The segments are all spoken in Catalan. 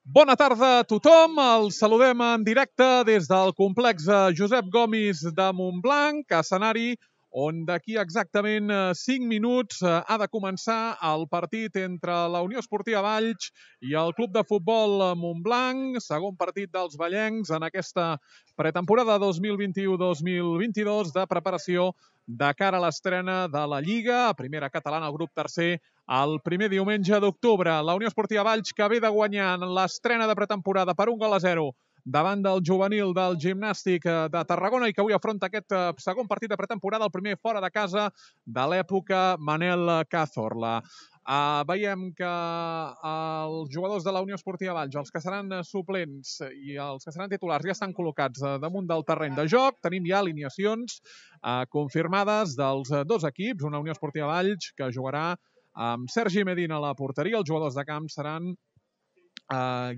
Bona tarda a tothom, els saludem en directe des del complex Josep Gomis de Montblanc, escenari on d'aquí exactament 5 minuts ha de començar el partit entre la Unió Esportiva Valls i el Club de Futbol Montblanc, segon partit dels vallencs en aquesta pretemporada 2021-2022 de preparació de cara a l'estrena de la Lliga, a primera catalana, al grup tercer, el primer diumenge d'octubre. La Unió Esportiva Valls, que ve de guanyar en l'estrena de pretemporada per 1-0 davant del juvenil del Gimnàstic de Tarragona i que avui afronta aquest segon partit de pretemporada, el primer fora de casa de l'època Manel Cazorla. Veiem que els jugadors de la Unió Esportiva Valls, els que seran suplents i els que seran titulars, ja estan col·locats damunt del terreny de joc. Tenim ja alineacions confirmades dels dos equips. Una Unió Esportiva Valls que jugarà amb Sergi Medina a la porteria. Els jugadors de camp seran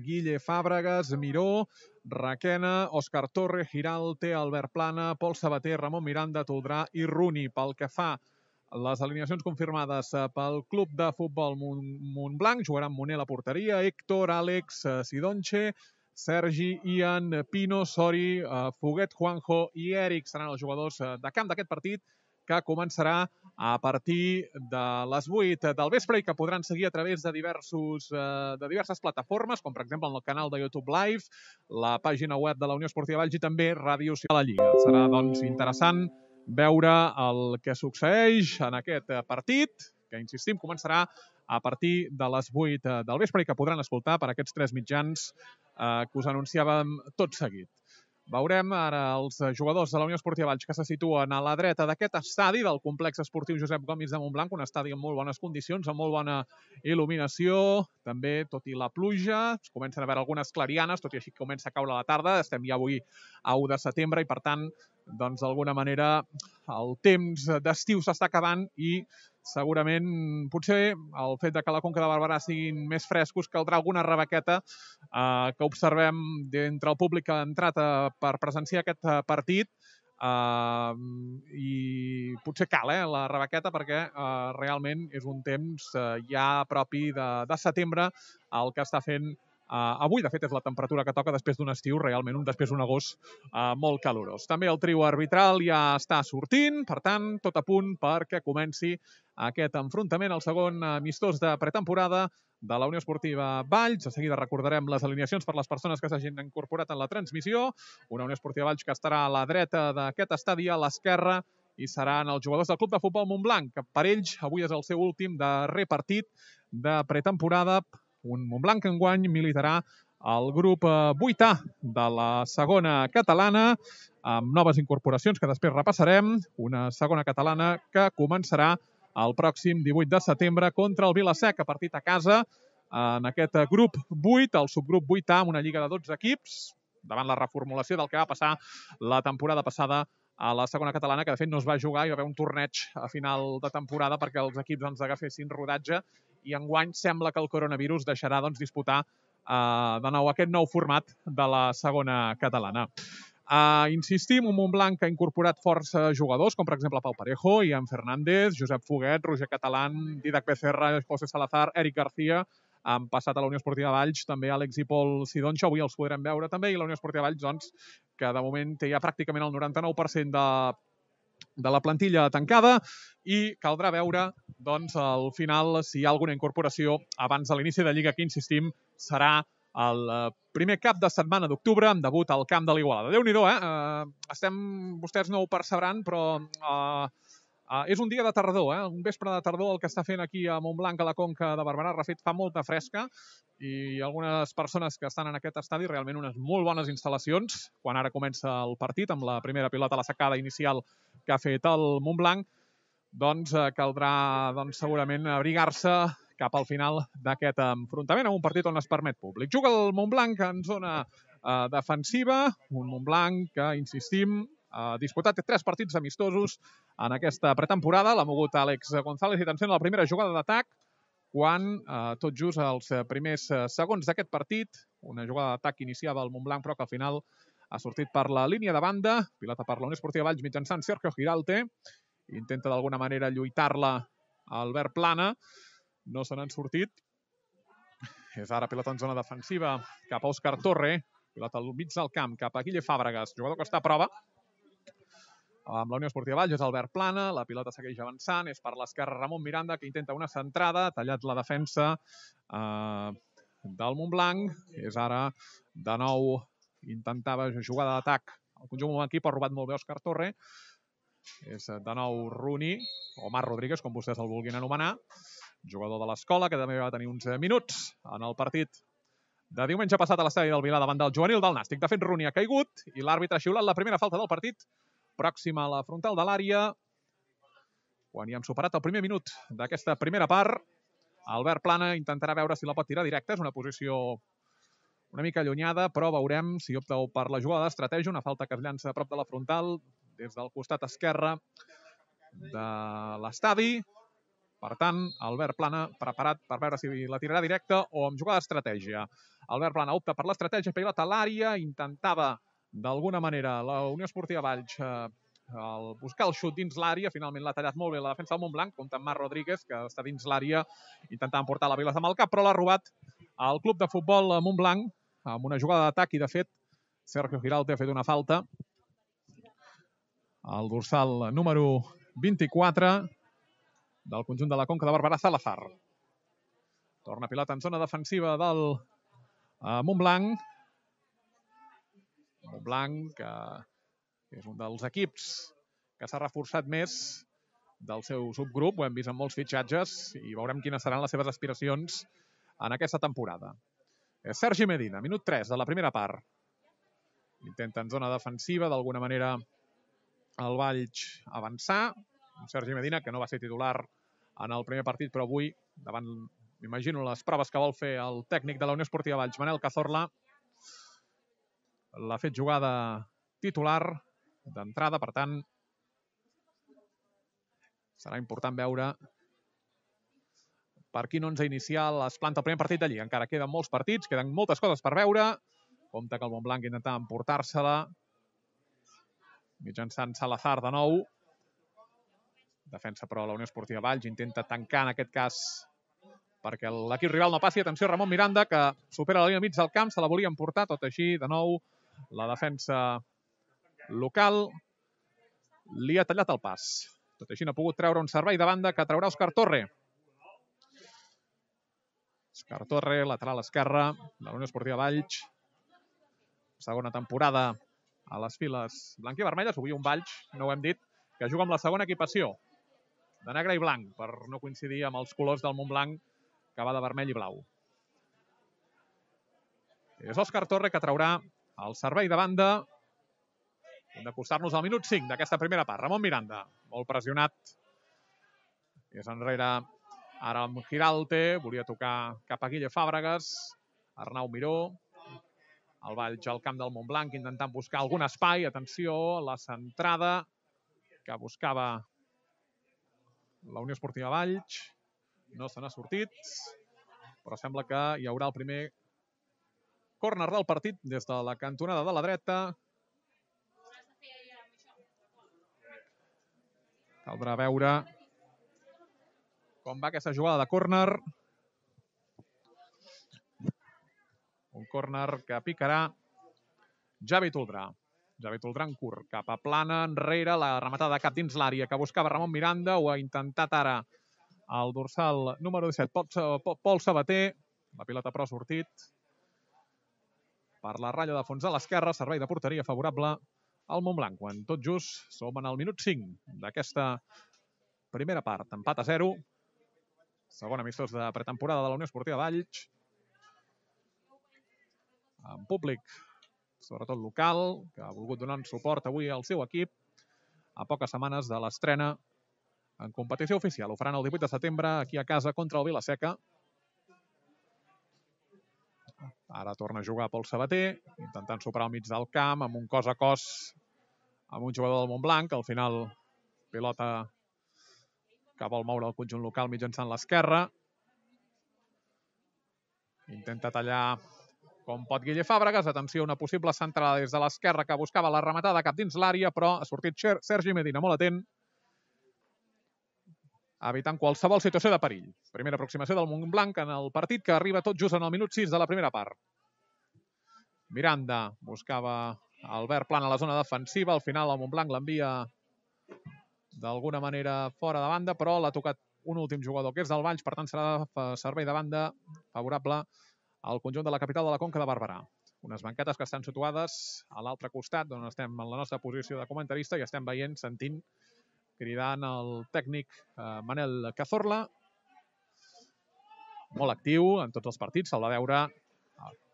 Guille Fàbregas, Miró, Requena, Òscar Torre, Giralte, Albert Plana, Pol Sabater, Ramon Miranda, Toldrà i Runi. Pel que fa les alineacions confirmades pel Club de Futbol Montblanc, jugaran Moner a la porteria, Héctor, Àlex, Sidonche, Sergi, Ian, Pino, Sori, Foguet, Juanjo i Eric seran els jugadors de camp d'aquest partit, que començarà a partir de les 8 del vespre i que podran seguir a través de diverses plataformes, com per exemple el canal de YouTube Live, la pàgina web de la Unió Esportiva Valls i també Ràdio Ciutat de la Lliga. Serà, doncs, interessant veure el que succeeix en aquest partit, que, insistim, començarà a partir de les 8 del vespre i que podran escoltar per aquests 3 mitjans que us anunciàvem tot seguit. Veurem ara els jugadors de la Unió Esportiva Valls que se situen a la dreta d'aquest estadi del complex esportiu Josep Gomis de Montblanc, un estadi amb molt bones condicions, amb molt bona il·luminació, també, tot i la pluja, es comencen a veure algunes clarianes, tot i així comença a caure la tarda, estem ja avui a 1 de setembre i, per tant, doncs, d'alguna manera, el temps d'estiu s'està acabant i segurament, potser, el fet de que la Conca de Barberà siguin més frescos, caldrà alguna rebequeta que observem d'entre el públic que ha entrat per presenciar aquest partit i potser cal la rebequeta perquè realment és un temps ja propi de setembre el que està fent avui. De fet, és la temperatura que toca després d'un estiu, realment després d'un agost molt calorós. També el trio arbitral ja està sortint, per tant, tot a punt perquè comenci aquest enfrontament, el segon amistós de pretemporada de la Unió Esportiva Valls. De seguida recordarem les alineacions per les persones que s'hagin incorporat en la transmissió. Una Unió Esportiva Valls que estarà a la dreta d'aquest estadi, a l'esquerra, i seran els jugadors del Club de Futbol Montblanc, que per ells avui és el seu últim darrer partit de pretemporada. Un Montblanc que enguany militarà el grup 8A de la segona catalana, amb noves incorporacions que després repassarem. Una segona catalana que començarà el pròxim 18 de setembre contra el Vila-seca, partit a casa en aquest grup 8, el subgrup 8A, amb una lliga de 12 equips, davant la reformulació del que va passar la temporada passada a la segona catalana, que de fet no es va jugar, hi va haver un torneig a final de temporada perquè els equips agafessin rodatge, i enguany sembla que el coronavirus deixarà disputar de nou aquest nou format de la segona catalana. Insistim, un Montblanc que ha incorporat força jugadors, com per exemple Pau Parejo, Ian Fernández, Josep Foguet, Roger Catalán, Didac Becerra, José Salazar, Eric García. Han passat a la Unió Esportiva Valls també Àlex i Pol Sidoncho, avui els podrem veure també, i la Unió Esportiva Valls, doncs, que de moment té ja pràcticament el 99% de la plantilla tancada, i caldrà veure, doncs, al final si hi ha alguna incorporació abans de l'inici de Lliga, que, insistim, serà el primer cap de setmana d'octubre, amb debut al camp de l'Igualada. Déu-n'hi-do, vostès no ho percebran, però és un dia de tardor, un vespre de tardor el que està fent aquí a Montblanc, a la Conca de Barberà. Refet, fa molta fresca, i algunes persones que estan en aquest estadi, realment unes molt bones instal·lacions, quan ara comença el partit, amb la primera pilota a la sacada inicial que ha fet el Montblanc, doncs caldrà segurament abrigar-se cap al final d'aquest enfrontament, en un partit on es permet públic. Juga el Montblanc en zona defensiva, un Montblanc que, insistim, ha disputat 3 partits amistosos en aquesta pretemporada. L'ha mogut Àlex González i atenció a la primera jugada d'atac, quan tot just els primers segons d'aquest partit, una jugada d'atac que iniciava el Montblanc però que al final ha sortit per la línia de banda, pilota per la Unió Esportiva Valls mitjançant Sergio Giralte, intenta d'alguna manera lluitar-la a Albert Plana, no se n'han sortit. És ara pilota en zona defensiva cap a Òscar Torre. Pilota al mig del camp cap a Guille Fàbregas, jugador que està a prova. Amb la Unió Esportiva Valls és Albert Plana, la pilota segueix avançant, és per l'esquerra Ramon Miranda, que intenta una centrada, tallat la defensa del Montblanc. És ara, de nou, intentava jugada d'atac el conjunt montblanquí, però ha robat molt bé Òscar Torre. És de nou Rooney, o Marc Rodríguez, com vostès el vulguin anomenar, jugador de l'escola, que també va tenir uns minuts en el partit de diumenge passat a l'estadi del Vilar davant del juvenil del Nàstic. De fet, Rooney ha caigut i l'àrbitre ha xiulat la primera falta del partit, pròxima a la frontal de l'àrea. Quan hi hem superat el primer minut d'aquesta primera part, Albert Plana intentarà veure si la pot tirar directa. És una posició una mica allunyada, però veurem si opta per la jugada d'estratègia. Una falta que es llança a prop de la frontal, des del costat esquerre de l'estadi. Per tant, Albert Plana preparat per veure si la tirarà directa o amb jugada d'estratègia. Albert Plana opta per l'estratègia, pilota a l'àrea, intentava d'alguna manera la Unió Esportiva Valls buscar el xut dins l'àrea. Finalment l'ha tallat molt bé la defensa del Montblanc, compta amb Marc Rodríguez, que està dins l'àrea intentant portar la pilota amb el cap, però l'ha robat al club de futbol Montblanc amb una jugada d'atac i, de fet, Sergio Giralt ha fet una falta. El dorsal número 24 del conjunt de la Conca de Barberà, Salazar. Torna pilota en zona defensiva del Montblanc. Montblanc, que és un dels equips que s'ha reforçat més del seu subgrup. Ho hem vist en molts fitxatges i veurem quines seran les seves aspiracions en aquesta temporada. És Sergi Medina, minut 3 de la primera part. Intenta en zona defensiva, d'alguna manera, el Valls avançar. Sergi Medina, que no va ser titular en el primer partit, però avui, davant, m'imagino, les proves que vol fer el tècnic de la Unió Esportiva Valls, Manel Cazorla, l'ha fet jugada titular d'entrada. Per tant, serà important veure per quin 11 inicial es planta el primer partit d'allí. Encara queden molts partits, queden moltes coses per veure. Compte que el Montblanc intenta emportar-se-la mitjançant Salazar de nou. Defensa, però, la Unió Esportiva Valls. Intenta tancar, en aquest cas, perquè l'equip rival no passi. Atenció, Ramon Miranda, que supera la línia mig del camp. Se la volia emportar, tot així, de nou. La defensa local li ha tallat el pas. Tot així, no ha pogut treure un servei de banda que traurà Òscar Torre. Òscar Torre, lateral esquerra de la Unió Esportiva Valls. Segona temporada a les files blanc i vermelles. Avui un Valls, no ho hem dit, que juga amb la segona equipació de negre i blanc, per no coincidir amb els colors del Montblanc, que va de vermell i blau. És Òscar Torre que traurà el servei de banda. Hem d'acostar-nos al minut 5 d'aquesta primera part. Ramon Miranda, molt pressionat. És enrere ara amb Giralte. Volia tocar cap a Guille Fàbregas. Arnau Miró. El Valls al camp del Montblanc intentant buscar algun espai. Atenció, la centrada que buscava la Unió Esportiva Valls. No se n'ha sortit, però sembla que hi haurà el primer córner del partit des de la cantonada de la dreta. Caldrà veure com va aquesta jugada de córner. Un córner que picarà Javi Toldrà. Javi Toldrà en curt, cap a Plana, enrere, la rematada de cap dins l'àrea que buscava Ramon Miranda. Ho ha intentat ara el dorsal número 17, Pol Sabater. La pilota però ha sortit per la ratlla de fons a l'esquerra. Servei de porteria favorable al Montblanc, quan tot just som en el minut 5 d'aquesta primera part. Empat a 0. Segon amistós de pretemporada de la Unió Esportiva Valls. En públic, sobretot local, que ha volgut donar suport avui al seu equip a poques setmanes de l'estrena en competició oficial. Ho faran el 18 de setembre aquí a casa contra el Vila-seca. Ara torna a jugar Pol Sabater, intentant superar al mig del camp amb un cos a cos amb un jugador del Montblanc. Al final, pilota que vol moure el conjunt local mitjançant l'esquerra. Intenta tallar com pot Guille Fàbregas. Atenció, una possible centrada des de l'esquerra que buscava la rematada cap dins l'àrea, però ha sortit Sergi Medina, molt atent. evitant qualsevol situació de perill. Primera aproximació del Montblanc en el partit, que arriba tot just en el minut 6 de la primera part. Miranda buscava Albert Plant a la zona defensiva. Al final el Montblanc l'envia d'alguna manera fora de banda, però l'ha tocat un últim jugador, que és del Valls, per tant serà servei de banda favorable al conjunt de la capital de la Conca de Barberà. Unes banquetes que estan situades a l'altre costat, on estem en la nostra posició de comentarista i estem veient, sentint, cridant el tècnic Manel Cazorla, molt actiu en tots els partits, se'l va veure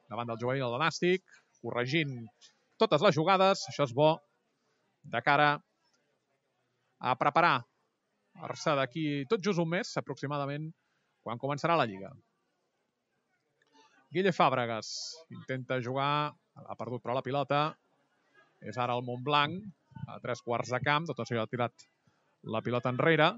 davant del juvenil del Nàstic, corregint totes les jugades. Això és bo de cara a preparar-se d'aquí tot just un mes, aproximadament, quan començarà la Lliga. Guille Fàbregas intenta jugar, ha perdut però la pilota. És ara el Montblanc, a 3 quarts de camp, tot això ha tirat la pilota enrere.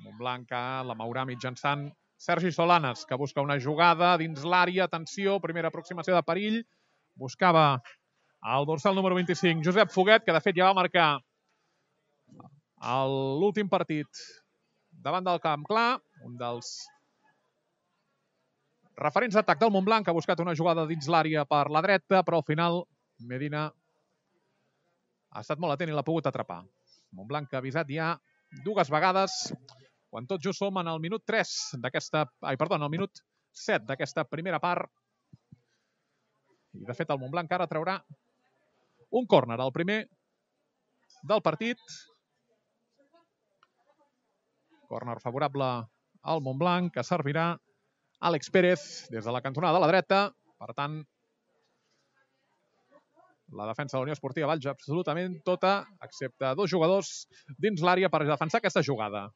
Montblanc que la mourà mitjançant Sergi Solanes, que busca una jugada dins l'àrea. Atenció, primera aproximació de perill. Buscava el dorsal número 25, Josep Foguet, que de fet ja va marcar l'últim partit davant del Camp Clar, un dels referents d'atac del Montblanc, que ha buscat una jugada dins l'àrea per la dreta, però al final Medina ha estat molt atent i l'ha pogut atrapar. Montblanc que ha avisat ja 2 vegades, quan tot just som en el minut 3 d'aquesta... en el minut 7 d'aquesta primera part. I de fet el Montblanc ara traurà un córner, el primer del partit. Córner favorable al Montblanc, que servirà Àlex Pérez des de la cantonada de la dreta. Per tant, la defensa de la Unió Esportiva Valls absolutament tota, excepte 2 jugadors dins l'àrea per defensar aquesta jugada.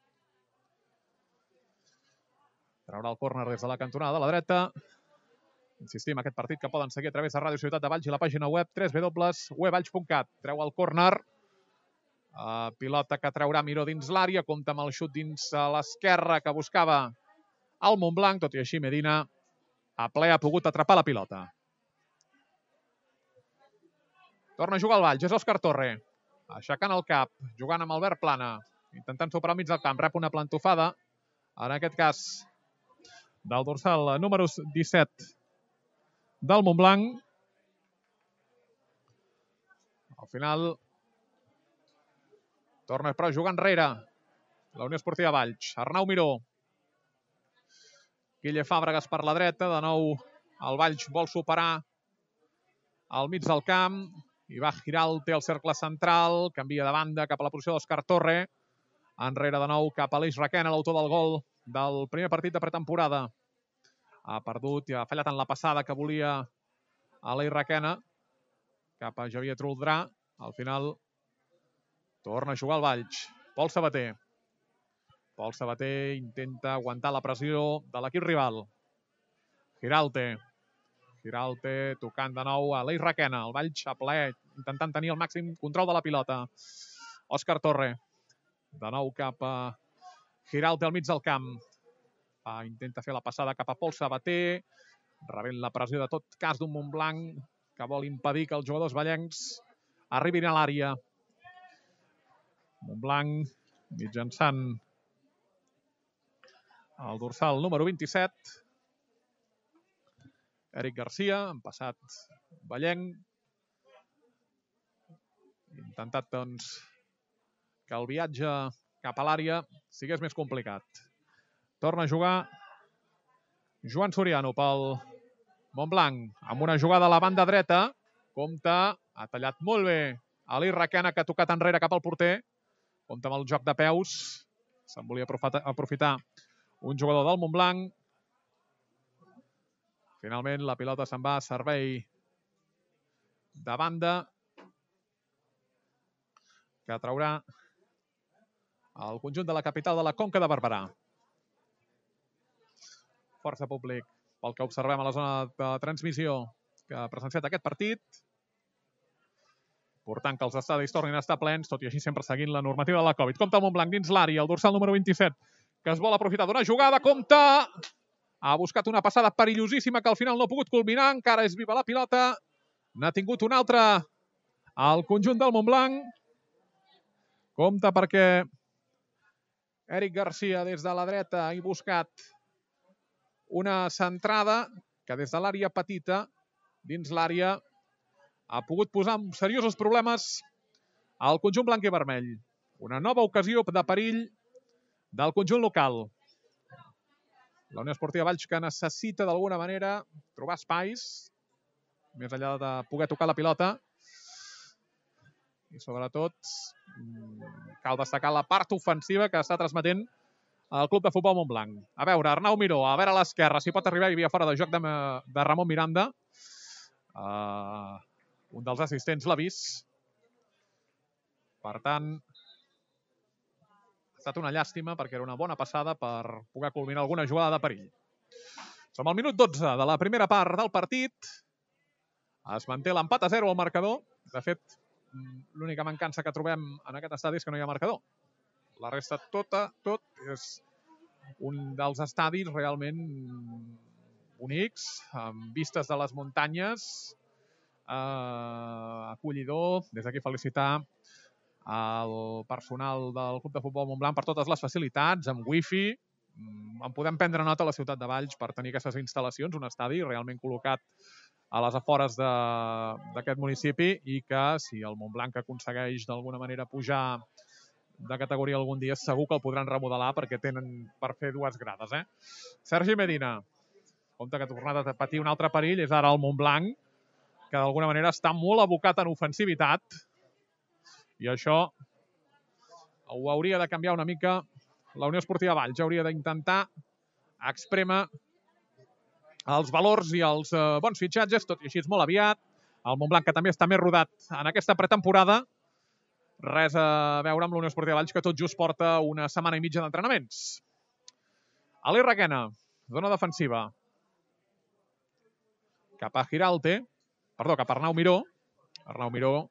Traurà el córner des de la cantonada de la dreta. Insistim, aquest partit que poden seguir a través de Ràdio Ciutat de Valls i la pàgina web www.wevalls.cat. Treu el córner. Pilota que traurà Miró dins l'àrea. Compta amb el xut dins a l'esquerra que buscava el Montblanc. Tot i així, Medina a ple ha pogut atrapar la pilota. Torna a jugar el Valls. És Òscar Torre. Aixecant el cap. Jugant amb Albert Plana. Intentant superar al mig del camp. Rep una plantofada. En aquest cas, del dorsal número 17 del Montblanc. Al final torna però a jugar enrere la Unió Esportiva Valls. Arnau Miró. Guille Fàbregas per la dreta. De nou el Valls vol superar al mig del camp. I va Giralte al cercle central. Canvia de banda cap a la posició d'Òscar Torre. Enrere de nou cap a Aleix Requena, l'autor del gol del primer partit de pretemporada. Ha perdut i ha fallat en la passada que volia Aleix Requena cap a Javier Truldrà. Al final torna a jugar el Valls. Pol Sabater. Pol Sabater intenta aguantar la pressió de l'equip rival. Giralte. Giralte tocant de nou a Aleix Requena. El Valls a ple, intentant tenir el màxim control de la pilota. Òscar Torre. De nou cap a Giralte al mig del camp. Intenta fer la passada cap a Pol Sabater. Rebent la pressió de tot cas d'un Montblanc que vol impedir que els jugadors vallencs arribin a l'àrea. Montblanc mitjançant el dorsal número 27. Eric Garcia, en passat vallenc. Intentat, doncs, que el viatge cap a l'àrea sigués més complicat. Torna a jugar Joan Soriano pel Montblanc, amb una jugada a la banda dreta. Compta, ha tallat molt bé Aleix Requena, que ha tocat enrere cap al porter. Compta amb el joc de peus. Se'n volia aprofitar un jugador del Montblanc. Finalment la pilota se'n va a servei de banda, que traurà el conjunt de la capital de la Conca de Barberà. Força públic pel que observem a la zona de transmissió que ha presenciat aquest partit, portant que els estadis tornin a estar plens, tot i així sempre seguint la normativa de la Covid. Compta el Montblanc dins l'àrea, el dorsal número 27, que es vol aprofitar d'una jugada. Compta! Ha buscat una passada perillosíssima que al final no ha pogut culminar. Encara és viva la pilota. N'ha tingut una altra al conjunt del Montblanc. Compte perquè Eric Garcia des de la dreta ha buscat una centrada que des de l'àrea petita, dins l'àrea, ha pogut posar seriosos problemes al conjunt blanc i vermell. Una nova ocasió de perill del conjunt local. La Unió Esportiva Valls que necessita d'alguna manera trobar espais, més enllà de poder tocar la pilota. I sobretot cal destacar la part ofensiva que està transmetent el Club de Futbol Montblanc. A veure, Arnau Miró, a veure a l'esquerra, si pot arribar, hi havia fora de joc de Ramon Miranda. Un dels assistents l'ha vist. Per tant, ha estat una llàstima perquè era una bona passada per poder culminar alguna jugada de perill. Som al minut 12 de la primera part del partit. Es manté l'empat a 0 al marcador. De fet, l'única mancança que trobem en aquest estadi és que no hi ha marcador. La resta tot és un dels estadis realment bonics, amb vistes de les muntanyes, acollidor. Des d'aquí felicitar el personal del Club de Futbol Montblanc per totes les facilitats, amb wifi. En podem prendre nota a la ciutat de Valls per tenir aquestes instal·lacions, un estadi realment col·locat a les afores d'aquest municipi i que si el Montblanc aconsegueix d'alguna manera pujar de categoria algun dia, segur que el podran remodelar perquè tenen per fer 2 grades. Sergi Medina, compte que ha tornat a patir un altre perill, és ara el Montblanc, que d'alguna manera està molt abocat en ofensivitat i això ho hauria de canviar una mica la Unió Esportiva Valls. Hauria d'intentar exprémer els valors i els bons fitxatges, tot i així és molt aviat. El Montblanc, que també està més rodat en aquesta pretemporada. Res a veure amb la Unió Esportiva Valls, que tot just porta una setmana i mitja d'entrenaments. Ali Requena, zona defensiva. Cap a Arnau Miró. Arnau Miró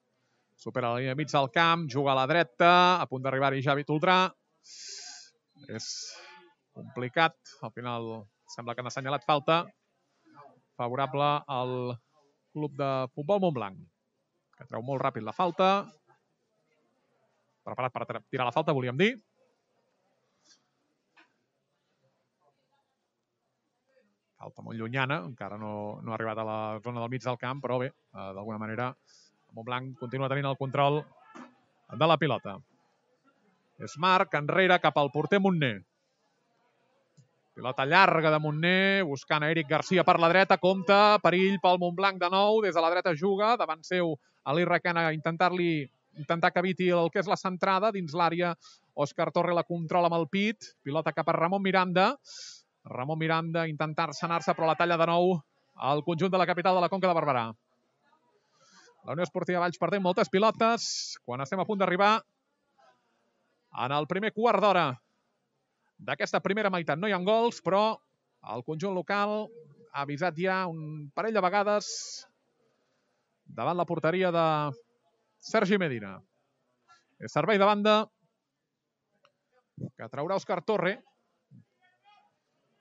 supera la línia mig del camp, juga a la dreta, a punt d'arribar-hi Javi Toldrà. És complicat, al final sembla que han assenyalat falta favorable al Club de Futbol Montblanc, que treu molt ràpid la falta. Preparat per tirar la falta, volíem dir. Falta molt llunyana, encara no ha arribat a la zona del mig del camp, però bé, d'alguna manera el Montblanc continua tenint el control de la pilota. És Marc, enrere, cap al porter Montner. Pilota llarga de Montner, buscant a Eric Garcia per la dreta, compte, perill pel Montblanc de nou, des de la dreta juga, davant seu Ali Requena intentar que eviti el que és la centrada dins l'àrea. Òscar Torre la controla amb el pit, pilota cap a Ramon Miranda. Ramon Miranda intentar-se anar-se, però la talla de nou al conjunt de la capital de la Conca de Barberà. La Unió Esportiva Valls perdent moltes pilotes quan estem a punt d'arribar en el primer quart d'hora d'aquesta primera meitat. No hi ha gols, però el conjunt local ha avisat ja un parell de vegades davant la porteria de Sergi Medina. És servei de banda que traurà Òscar Torre.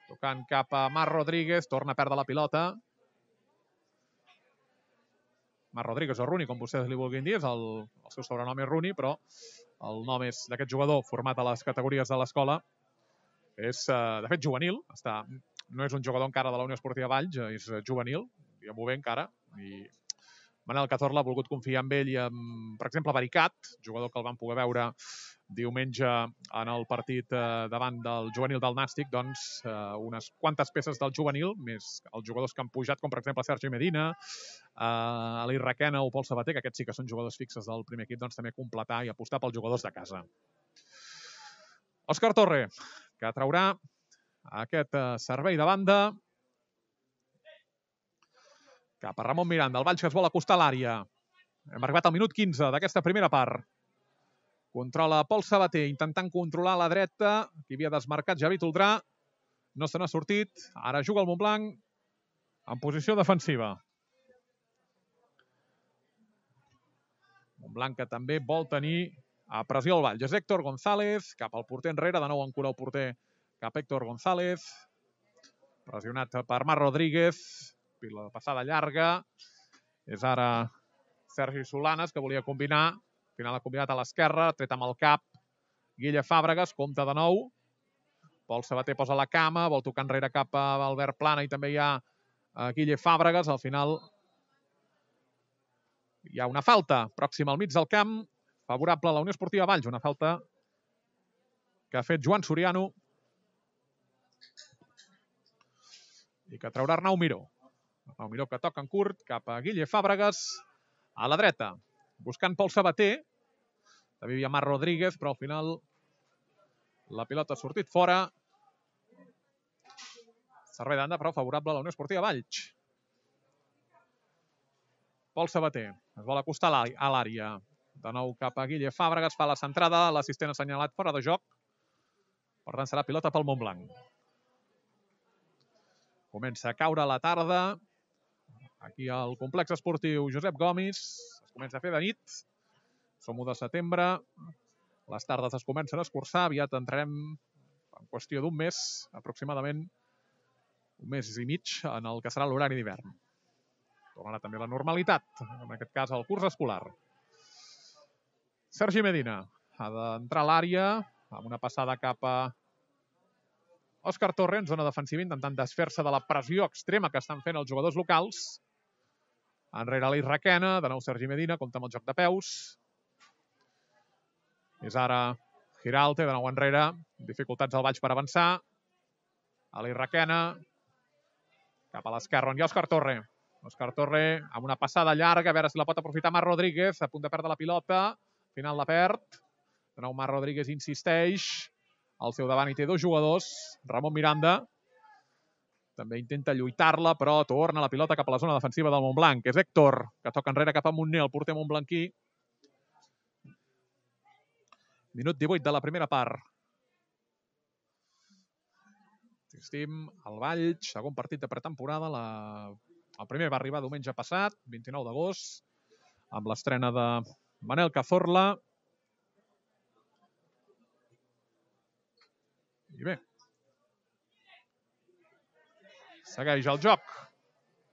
Tocant cap a Marc Rodríguez, torna a perdre la pilota. Marc Rodríguez o Rooney, com vostès li vulguin dir, el seu sobrenom és Rooney, però el nom és d'aquest jugador format a les categories de l'escola. És, de fet, juvenil. No és un jugador encara de la Unió Esportiva Valls, és juvenil, diguem-ho bé encara. I Manel Cazorla ha volgut confiar en ell i amb, per exemple, Baricat, jugador que el vam poder veure diumenge en el partit davant del juvenil del Nàstic, doncs unes quantes peces del juvenil, més els jugadors que han pujat, com per exemple Sergi Medina, Ali Requena o Pol Sabater, que aquests sí que són jugadors fixes del primer equip, doncs també completar i apostar pels jugadors de casa. Òscar Torre, que traurà aquest servei de banda cap a Ramon Miranda. El Valls que es vol acostar a l'àrea. Hem arribat al minut 15 d'aquesta primera part. Controla Pol Sabater, intentant controlar la dreta. Qui havia desmarcat Javi Toldrà. No se n'ha sortit. Ara juga el Montblanc en posició defensiva. Montblanc que també vol tenir a pressió el Valls. És Héctor González, cap al porter enrere. De nou encura el porter cap a Héctor González. Pressionat per Marc Rodríguez. La passada llarga. És ara Sergi Solanes, que volia combinar. Al final ha combinat a l'esquerra, tret amb el cap. Guille Fàbregas, compta de nou. Pol Sabater posa la cama, vol tocar enrere cap a Albert Plana i també hi ha Guille Fàbregas. Al final hi ha una falta pròxima al mig del camp, favorable a la Unió Esportiva Valls. Una falta que ha fet Joan Soriano i que traurà Arnau Miró. Arnau Miró que toca en curt cap a Guille Fàbregas a la dreta, buscant Pol Sabater. També hi havia Marc Rodríguez, però al final la pilota ha sortit fora. Servei d'anda, però favorable a la Unió Esportiva Valls. Pol Sabater es vol acostar a l'àrea. De nou cap a Guille Fàbregas, fa la centrada, l'assistent ha assenyalat fora de joc. Per tant, serà pilota pel Montblanc. Comença a caure la tarda. Aquí al complex esportiu Josep Gomis. Es comença a fer de nit. Som 1 de setembre. Les tardes es comencen a escurçar. Aviat entrarem en qüestió d'un mes, aproximadament un mes i mig, en el que serà l'horari d'hivern. Tornarà també la normalitat, en aquest cas el curs escolar. Sergi Medina ha d'entrar a l'àrea amb una passada cap a Òscar Torre en zona defensiva, intentant desfer-se de la pressió extrema que estan fent els jugadors locals. Enrere l'Eix Requena, de nou Sergi Medina, compta amb el joc de peus. És ara Giralte, de nou enrere, dificultats al Valls per avançar. L'Eix Requena, cap a l'esquerra on hi ha Òscar Torre. Òscar Torre amb una passada llarga, a veure si la pot aprofitar Marc Rodríguez, a punt de perdre la pilota, al final la perd. De nou Marc Rodríguez insisteix, al seu davant hi té dos jugadors, Ramon Miranda, també intenta lluitar-la, però torna la pilota cap a la zona defensiva del Montblanc. És Héctor, que toca enrere cap a Montner, el porter montblanquí. Minut 18 de la primera part. Insistim, el Valls, segon partit de pretemporada. El primer va arribar diumenge passat, 29 d'agost, amb l'estrena de Manel Cazorla. I bé, segueix el joc.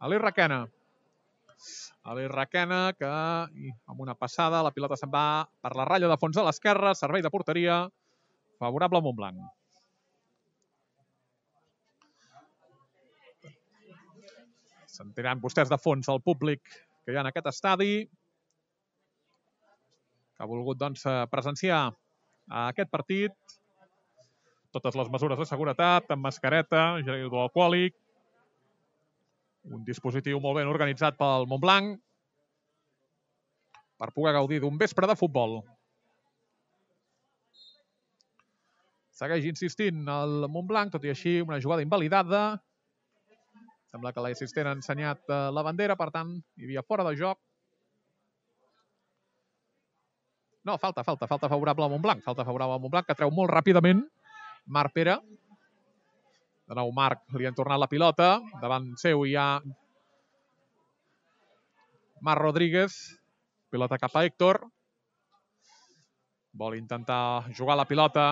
L'Eix Requena. L'Eix Requena que amb una passada la pilota se'n va per la ratlla de fons a l'esquerra, servei de porteria, favorable al Montblanc. Sentiran vostès de fons el públic que hi ha en aquest estadi, que ha volgut doncs, presenciar aquest partit. Totes les mesures de seguretat, amb mascareta, gel hidroalcohòlic, un dispositiu molt ben organitzat pel Montblanc per poder gaudir d'un vespre de futbol. Segueix insistint el Montblanc, tot i així una jugada invalidada. Sembla que l'assistent ha ensenyat la bandera, per tant, hi havia fora de joc. No, falta favorable al Montblanc. Falta favorable al Montblanc, que treu molt ràpidament Marc Pere. De nou Marc, li han tornat la pilota. Davant seu hi ha Marc Rodríguez. Pilota cap a Héctor. Vol intentar jugar la pilota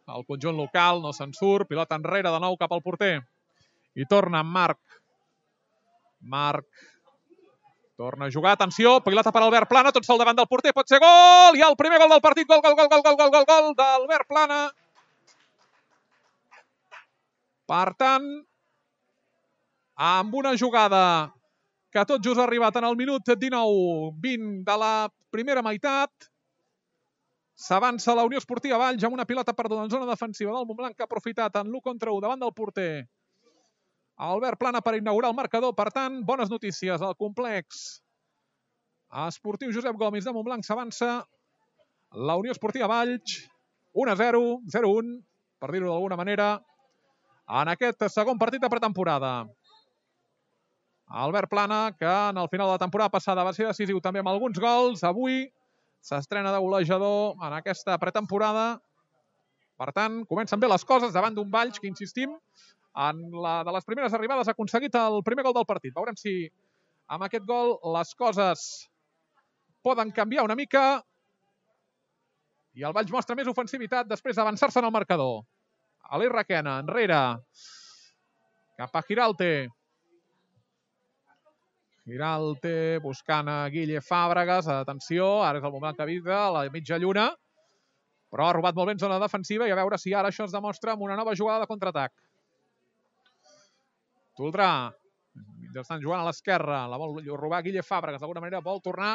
al conjunt local, no se'n surt. Pilota enrere de nou cap al porter. I torna Marc. Marc torna a jugar, atenció, pilota per Albert Plana, tot sol davant del porter, pot ser gol, i el primer gol del partit, gol d'Albert Plana. Per tant, amb una jugada que tot just ha arribat en el minut 19-20 de la primera meitat, s'avança la Unió Esportiva Valls amb una pilota perduda en zona defensiva del Montblanc, que ha aprofitat en l'1 contra 1 davant del porter Albert Plana per inaugurar el marcador. Per tant, bones notícies al complex esportiu Josep Gomis de Montblanc. S'avança la Unió Esportiva Valls 1-0, 0-1, per dir-ho d'alguna manera, en aquest segon partit de pretemporada. Albert Plana, que en el final de la temporada passada va ser decisiu també amb alguns gols, avui s'estrena de golejador en aquesta pretemporada. Per tant, comencen bé les coses davant d'un Valls que, insistim, en la de les primeres arribades ha aconseguit el primer gol del partit. Veurem si amb aquest gol les coses poden canviar una mica i el Valls mostra més ofensivitat després d'avançar-se en el marcador. L'Eix Requena, enrere, cap a Giralte. Giralte buscant a Guille Fàbregas. Atenció, ara és el moment que avisa a la mitja lluna. però ha robat molt bé en zona defensiva i a veure si ara això es demostra amb una nova jugada de contraatac. Toldrà, estan jugant a l'esquerra, la vol robar Guille Fàbregas, d'alguna manera vol tornar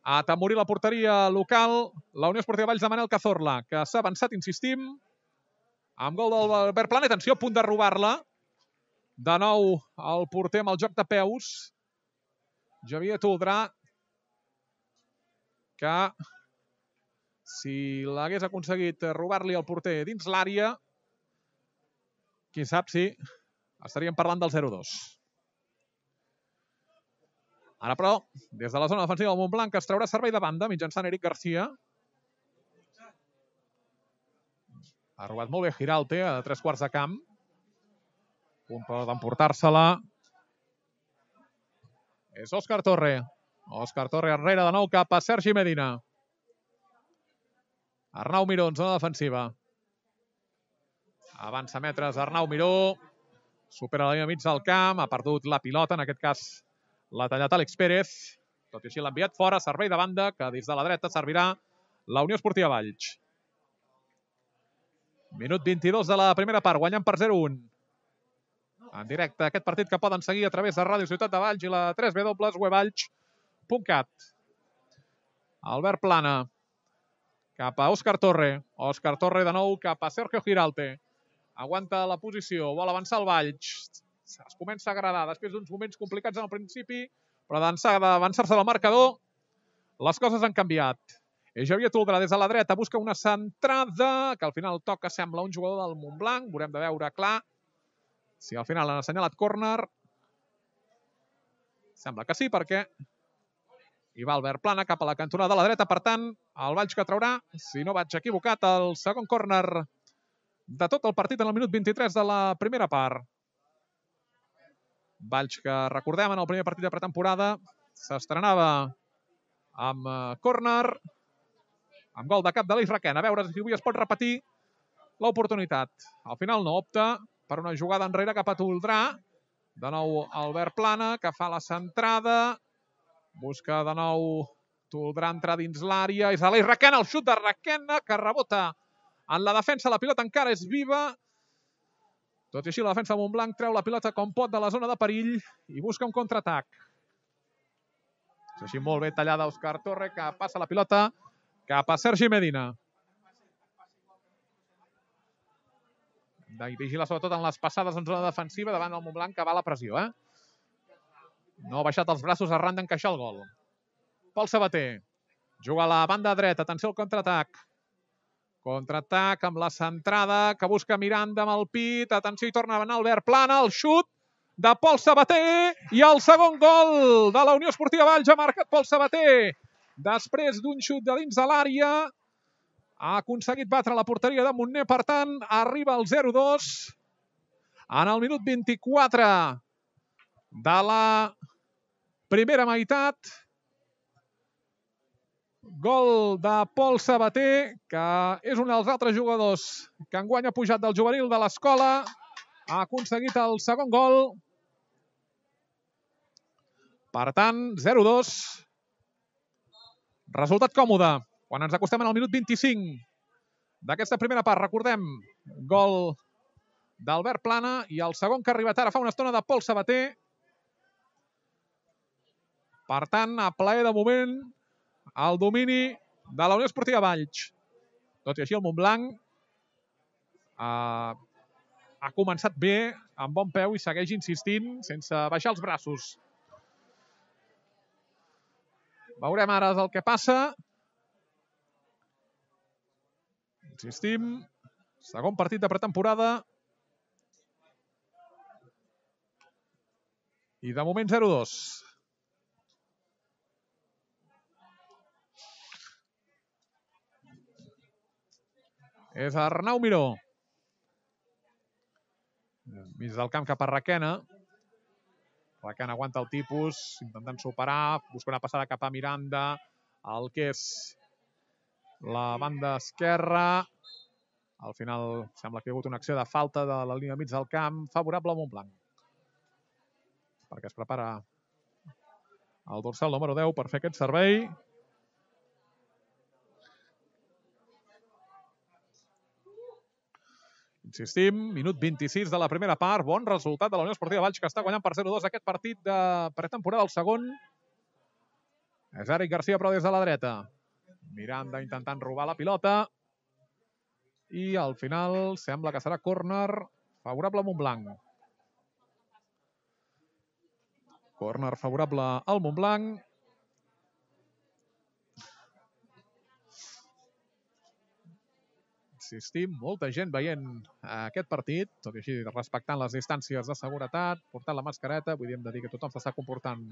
a atemorir la porteria local, la Unió Esportiva Valls de Manel Cazorla, que s'ha avançat, insistim, amb gol del Albert Plana. Atenció, a punt de robar-la. De nou el porter amb el joc de peus, Xavier Toldrà, que si l'hagués aconseguit robar-li el porter dins l'àrea, qui sap si estaríem parlant del 0-2. Ara, però, des de la zona defensiva del Montblanc es traurà servei de banda mitjançant Eric Garcia. Ha robat molt bé Giralte a 3/4 de camp. Punt d'emportar-se-la. És Òscar Torre. Òscar Torre enrere de nou cap a Sergi Medina. Arnau Miró en zona defensiva. Avança metres Arnau Miró. Supera la línia mig del camp. Ha perdut la pilota, en aquest cas l'ha tallat Àlex Pérez. Tot i així l'ha enviat fora. Servei de banda que des de la dreta servirà la Unió Esportiva Valls. Minut 22 de la primera part. Guanyant per 0-1. En directe aquest partit que poden seguir a través de Ràdio Ciutat de Valls i la 3W.wevalls.cat. Albert Plana cap a Òscar Torre. Òscar Torre de nou cap a Sergio Giralte. Aguanta la posició, vol avançar el Valls. Es comença a agradar després d'uns moments complicats en el principi, però d'avançar-se del marcador, les coses han canviat. Xavier Toldrà des de la dreta busca una centrada, que al final toca, sembla, un jugador del Montblanc. Veurem de veure clar si al final han assenyalat córner. Sembla que sí, perquè hi va Albert Plana cap a la cantonada de la dreta. Per tant, el Valls que traurà, si no vaig equivocat, el segon córner de tot el partit en el minut 23 de la primera part. Valls que, recordem, en el primer partit de pretemporada s'estrenava amb córner, amb gol de cap de l'Eix Requena. A veure si avui es pot repetir l'oportunitat. Al final no, opta per una jugada enrere cap a Toldrà. De nou Albert Plana, que fa la centrada. Busca de nou Toldrà entrar dins l'àrea. És l'Eix Requena, el xut de Requena, que rebota en la defensa. La pilota encara és viva. Tot i així, la defensa de Montblanc treu la pilota com pot de la zona de perill i busca un contraatac. És així molt bé tallada Òscar Torre, que passa la pilota cap a Sergi Medina. Vigila sobretot en les passades en zona defensiva davant del Montblanc, que va a la pressió. No ha baixat els braços arran d'encaixar el gol. Pol Sabater juga a la banda dreta. Atenció al contraatac. Contraatac amb la centrada que busca Miranda amb el pit. Atenció, hi torna a anar Albert Plana. El xut de Pol Sabater i el segon gol de la Unió Esportiva Valls. Ha marcat Pol Sabater. Després d'un xut de dins de l'àrea, ha aconseguit batre la porteria de Montner. Per tant, arriba al 0-2 en el minut 24 de la primera meitat. Gol de Pol Sabater, que és un dels altres jugadors que enguany ha pujat del juvenil de l'escola. Ha aconseguit el segon gol. Per tant, 0-2. Resultat còmode. Quan ens acostem al minut 25 d'aquesta primera part, recordem, gol d'Albert Plana i el segon que ha arribat ara fa una estona de Pol Sabater. Per tant, a plaer de moment, el domini de la Unió Esportiva Valls. Tot i així, el Montblanc ha començat bé, amb bon peu, i segueix insistint sense baixar els braços. Veurem ara el que passa. Insistim, segon partit de pretemporada. I de moment 0-2. És Arnau Miró. Mig del camp cap a Requena. Requena aguanta el tipus, intentant superar, busca una passada cap a Miranda, el que és la banda esquerra. Al final sembla que hi ha hagut una acció de falta de la línia mig del camp, favorable al Montblanc. Perquè es prepara el dorsal número 10 per fer aquest servei. Insistim, minut 26 de la primera part. Bon resultat de la Unió Esportiva Valls, que està guanyant per 0-2 aquest partit de pretemporada. El segon és Eric Garcia, però des de la dreta. Miranda intentant robar la pilota. I al final sembla que serà córner favorable a Montblanc. Córner favorable al Montblanc. Insistim, molta gent veient aquest partit, tot i així respectant les distàncies de seguretat, portant la mascareta, vull dir, hem de dir que tothom s'està comportant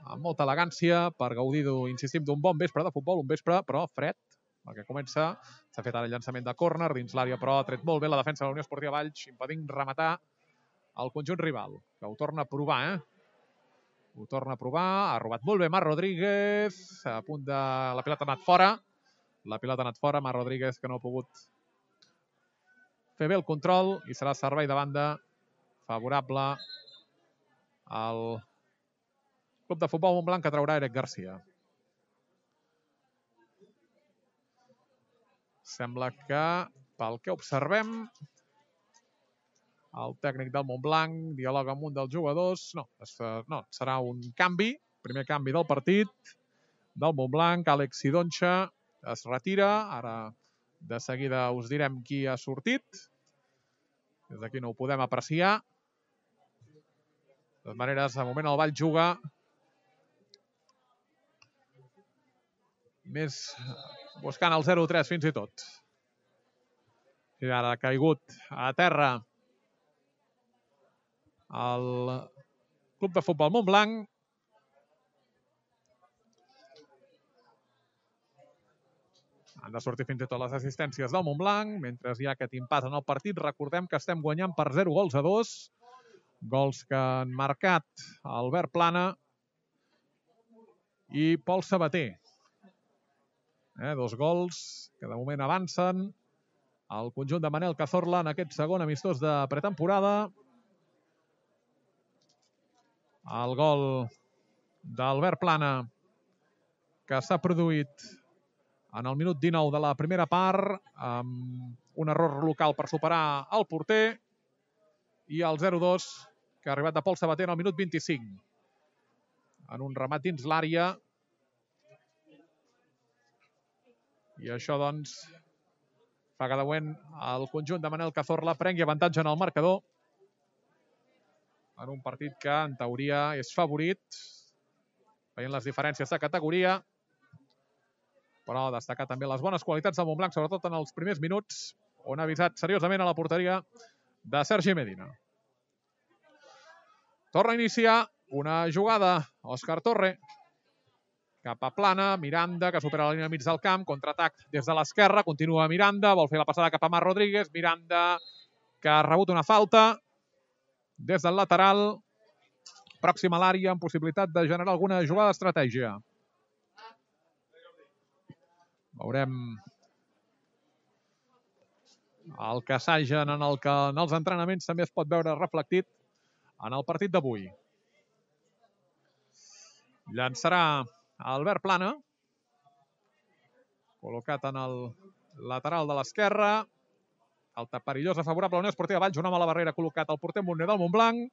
amb molta elegància per gaudir, insistim, d'un bon vespre de futbol, un vespre, però fred, perquè comença, s'ha fet ara el llançament de córner dins l'àrea, però ha tret molt bé la defensa de la Unió Esportiva Valls, impedint rematar el conjunt rival, que ho torna a provar, Ho torna a provar, ha robat molt bé Marc Rodríguez, a punt de... la pilota ha anat fora, Marc Rodríguez, que no ha pogut fer bé el control, i serà servei de banda favorable al club de futbol Montblanc, que traurà Eric Garcia. Sembla que, pel que observem, el tècnic del Montblanc dialoga amb un dels jugadors. No, serà un canvi, primer canvi del partit del Montblanc. Àlex Sidonxa es retira. Ara de seguida us direm qui ha sortit. Des d'aquí no ho podem apreciar. De totes maneres, de moment el Valls juga més buscant el 0-3 fins i tot. I ara ha caigut a terra el club de futbol Montblanc. Han de sortir fins i tot les assistències del Montblanc, mentre hi ha aquest impas en el partit. Recordem que estem guanyant per 0-2. Gols que han marcat Albert Plana i Pol Sabater. 2 gols que de moment avancen al conjunt de Manel Cazorla en aquest segon amistós de pretemporada. El gol d'Albert Plana, que s'ha produït en el minut 19 de la primera part, amb un error local per superar el porter, i el 0-2, que ha arribat de Pol Sabater en el minut 25. En un remat dins l'àrea. I això, doncs, fa que de moment el conjunt de Manel Cazorla prengui avantatge en el marcador, en un partit que, en teoria, és favorit, veient les diferències de categoria, però destacar també les bones qualitats del Montblanc, sobretot en els primers minuts, on ha avisat seriosament a la porteria de Sergi Medina. Torna a iniciar una jugada, Òscar Torre, cap a Plana, Miranda, que supera la línia mig del camp, contraatac des de l'esquerra, continua Miranda, vol fer la passada cap a Marc Rodríguez, Miranda, que ha rebut una falta des del lateral, pròxim a l'àrea, amb possibilitat de generar alguna jugada d'estratègia. Veurem el que assagen en els entrenaments també es pot veure reflectit en el partit d'avui. Llançarà Albert Plana, col·locat en el lateral de l'esquerra. Falta perillosa favorable a la Unió Esportiva Valls, una mala barrera col·locat al porter Montner del Montblanc.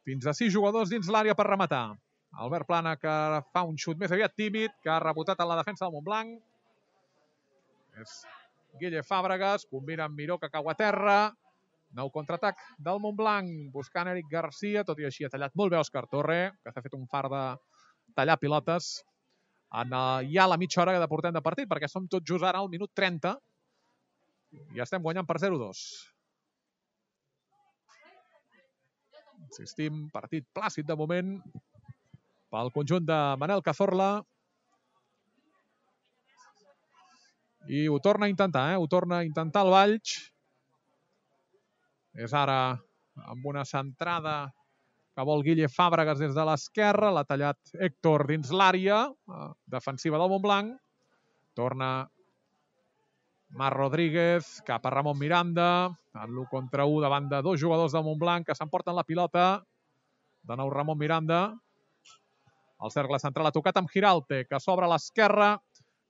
Fins a 6 jugadors dins l'àrea per rematar. Albert Plana, que fa un xut més aviat tímid, que ha rebotat en la defensa del Montblanc. És Guille Fàbregas, combina amb Miró, que cau a terra. Nou contraatac del Montblanc, buscant Eric Garcia, tot i així ha tallat molt bé Òscar Torre, que s'ha fet un far de tallar pilotes. Ja la mitja hora que portem de partit, perquè som tot just ara al minut 30. I estem guanyant per 0-2. Insistim, partit plàcid de moment pel conjunt de Manel Cazorla. I ho torna a intentar, Ho torna a intentar el Valls. És ara amb una centrada que vol Guille Fàbregas des de l'esquerra. L'ha tallat Héctor dins l'àrea defensiva del Montblanc. Torna Marc Rodríguez cap a Ramon Miranda, en l'1 contra 1 davant de 2 jugadors del Montblanc que s'emporten la pilota. De nou Ramon Miranda. El cercle central ha tocat amb Giralte, que s'obre a l'esquerra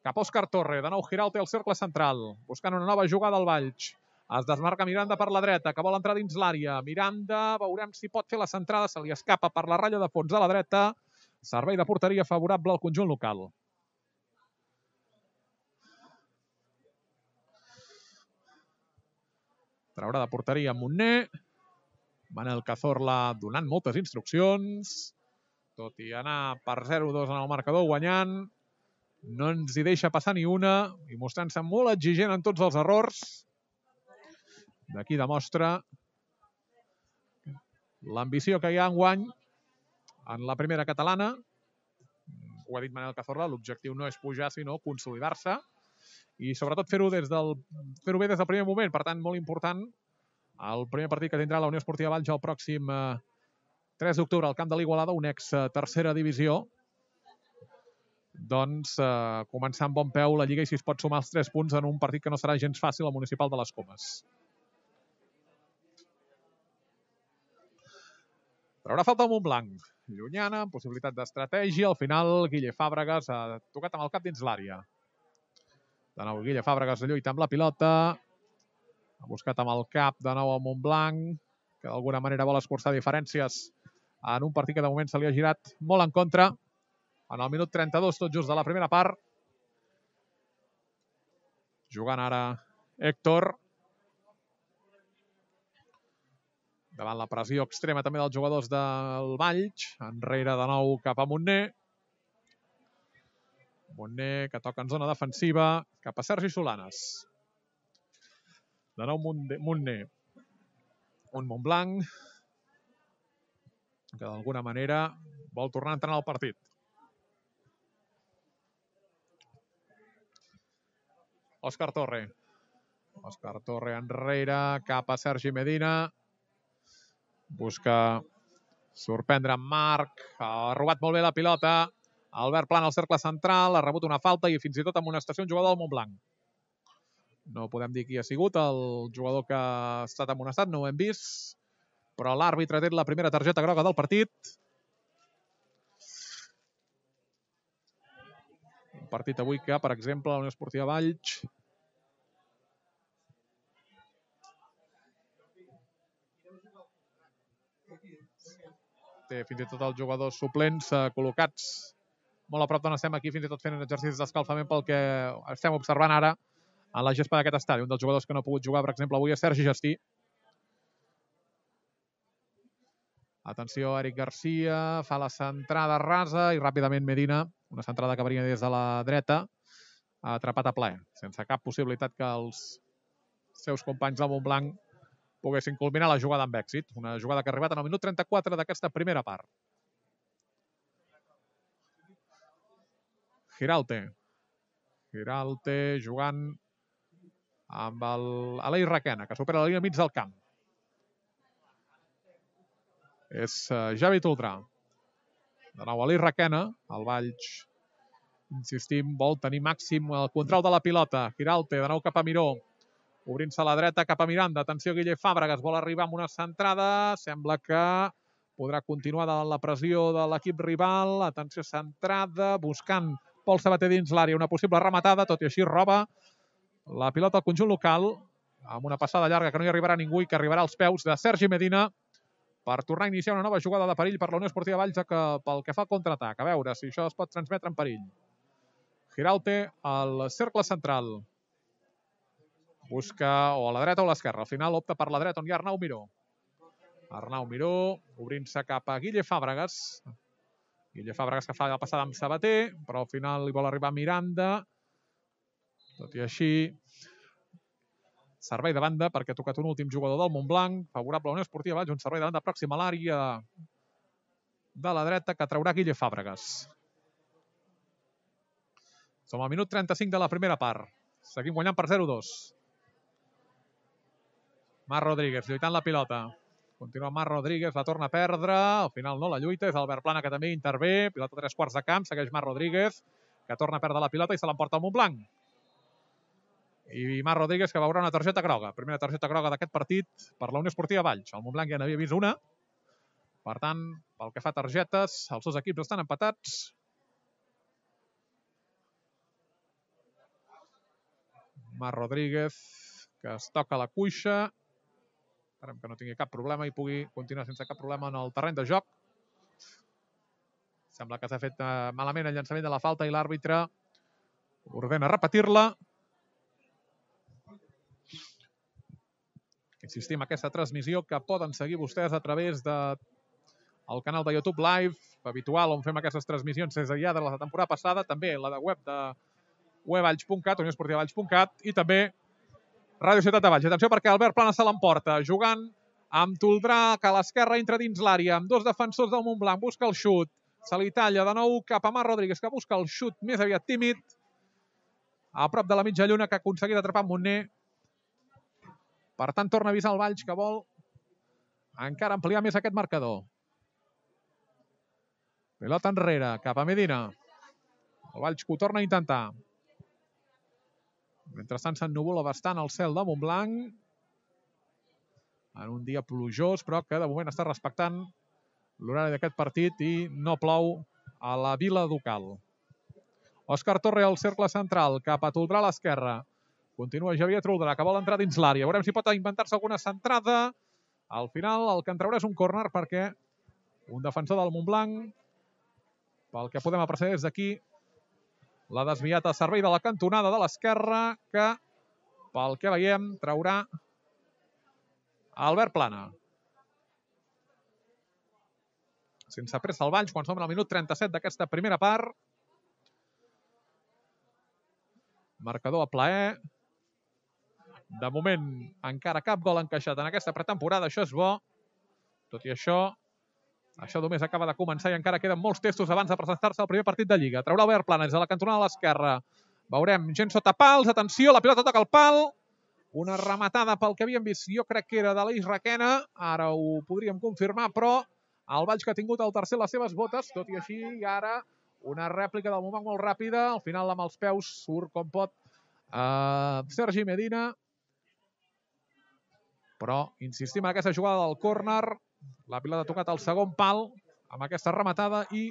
cap a Òscar Torre. De nou Giralte al cercle central, buscant una nova jugada al Valls. Es desmarca Miranda per la dreta, que vol entrar dins l'àrea. Miranda, veurem si pot fer la centrada, se li escapa per la ratlla de fons a la dreta. Servei de porteria favorable al conjunt local. Traurà de porteria Montner. Manel Cazorla donant moltes instruccions. Tot i anar per 0-2 en el marcador guanyant, no ens hi deixa passar ni una i mostrant-se molt exigent en tots els errors. D'aquí demostra l'ambició que hi ha enguany en la primera catalana. Ho ha dit Manel Cazorla, l'objectiu no és pujar, sinó consolidar-se i sobretot fer-ho bé des del primer moment. Per tant, molt important el primer partit que tindrà la Unió Esportiva Valls el pròxim 3 d'octubre al camp de l'Igualada, un ex-tercera divisió. Doncs començar amb bon peu la Lliga i si es pot sumar els 3 punts en un partit que no serà gens fàcil al Municipal de les Comes. Traurà falta el Montblanc. Llunyana, amb possibilitat d'estratègia. Al final, Guille Fàbregas ha tocat amb el cap dins l'àrea. De nou, Guille Fàbregas lluita amb la pilota. Ha buscat amb el cap de nou el Montblanc, que d'alguna manera vol escurçar diferències en un partit que de moment se li ha girat molt en contra. En el minut 32, tot just de la primera part. Jugant ara Héctor. Davant la pressió extrema també dels jugadors del Valls. Enrere de nou cap a Montner. Montner que toca en zona defensiva. Cap a Sergi Solanes. De nou Montner. Un Montblanc que d'alguna manera vol tornar a entrar al partit. Òscar Torre. Òscar Torre enrere, cap a Sergi Medina. Busca sorprendre en Marc. Ha robat molt bé la pilota. Albert Plana al cercle central. Ha rebut una falta i fins i tot amonestació un jugador del Montblanc. No podem dir qui ha sigut el jugador que ha estat amonestat, no ho hem vist. Però l'àrbitre ha tret la primera targeta groga del partit. Un partit avui que, per exemple, la Unió Esportiva Valls té fins i tot els jugadors suplents col·locats molt a prop d'on estem aquí, fins i tot fent exercicis d'escalfament pel que estem observant ara en la gespa d'aquest estadi. Un dels jugadors que no ha pogut jugar, per exemple, avui és Sergi Gestí. Atenció, Eric Garcia fa la centrada rasa i ràpidament Medina, una centrada que venia des de la dreta, ha atrapat a ple, sense cap possibilitat que els seus companys del Montblanc poguessin culminar la jugada amb èxit. Una jugada que ha arribat en el minut 34 d'aquesta primera part. Giralte. Giralte jugant amb l'Aleix Requena, que supera la línia mig del camp. És Javi Toldrà. De nou Aleix Requena, el Valls, insistim, vol tenir màxim el control de la pilota. Giralte, de nou cap a Miró, obrint-se a la dreta cap a Miranda. Atenció, Guille Fàbregas vol arribar amb una centrada. Sembla que podrà continuar de la pressió de l'equip rival. Atenció, centrada, buscant Pol Sabater dins l'àrea. Una possible rematada, tot i així roba la pilota al conjunt local amb una passada llarga que no hi arribarà ningú i que arribarà als peus de Sergi Medina per tornar a iniciar una nova jugada de perill per la Unió Esportiva Valls pel que fa al contraatac. A veure si això es pot transmetre en perill. Giralte al cercle central. Busca o a la dreta o a l'esquerra. Al final opta per la dreta on hi ha Arnau Miró. Arnau Miró obrint-se cap a Guille Fàbregas. Guille Fàbregas que fa la passada amb Sabater, però al final li vol arribar Miranda. Tot i així, servei de banda perquè ha tocat un últim jugador del Montblanc, favorable a la Unió Esportiva Valls, un servei de banda pròxim a l'àrea de la dreta que traurà Guille Fàbregas. Som al minut 35 de la primera part. Seguim guanyant per 0-2. Marc Rodríguez lluitant la pilota. Continua Marc Rodríguez, la torna a perdre. Al final no la lluita, és Albert Plana que també intervé. Pilota a 3/4 de camp, segueix Marc Rodríguez, que torna a perdre la pilota i se l'emporta al Montblanc. I Marc Rodríguez que veurà una targeta groga. Primera targeta groga d'aquest partit per la Unió Esportiva Valls. El Montblanc ja n'havia vist una. Per tant, pel que fa a targetes, els dos equips estan empatats. Marc Rodríguez que es toca la cuixa. Esperem que no tingui cap problema i pugui continuar sense cap problema en el terreny de joc. Sembla que s'ha fet malament el llançament de la falta i l'àrbitre ordena repetir-la. Insistim, aquesta transmissió que poden seguir vostès a través del canal de YouTube Live, habitual, on fem aquestes transmissions des ja de la temporada passada, també la de web de wevalls.cat, unioesportivavalls.cat, i també Ràdio Ciutat de Valls. Atenció perquè Albert Plana se l'emporta, jugant amb Toldrà, que a l'esquerra entra dins l'àrea, amb dos defensors del Montblanc, busca el xut, se li talla de nou cap a Marc Rodríguez, que busca el xut més aviat tímid, a prop de la mitja lluna, que ha aconseguit atrapar Montner. Per tant, torna a avisar el Valls, que vol encara ampliar més aquest marcador. Pilota enrere, cap a Medina. El Valls que ho torna a intentar. Mentrestant s'ennuvola bastant el cel de Montblanc. En un dia plujós, però que de moment està respectant l'horari d'aquest partit i no plou a la Vila Ducal. Òscar Torre al cercle central, cap a Toldrà a l'esquerra. Continua Javier Toldrà, que vol entrar dins l'àrea. Veurem si pot inventar-se alguna centrada. Al final el que en traurà és un córner perquè un defensor del Montblanc, pel que podem apreciar des d'aquí, l'ha desviat a servei de la cantonada de l'esquerra, que, pel que veiem, traurà Albert Plana. Sense pressa al Valls, quan som al minut 37 d'aquesta primera part. Marcador a plaer. De moment, encara cap gol encaixat en aquesta pretemporada. Això és bo. Tot i això només acaba de començar i encara queden molts testos abans de presentar-se al primer partit de Lliga. Traurà Albert Plana des de la cantonada a l'esquerra. Veurem gent sota pals. Atenció, la pilota toca el pal. Una rematada pel que havíem vist, jo crec que era de l'Eix Requena. Ara ho podríem confirmar, però el Valls que ha tingut el tercer a les seves botes, tot i així, i ara una rèplica del Montblanc molt ràpida. Al final, amb els peus, surt com pot Sergi Medina. Però insistim en aquesta jugada del córner. La pilota ha tocat al segon pal amb aquesta rematada i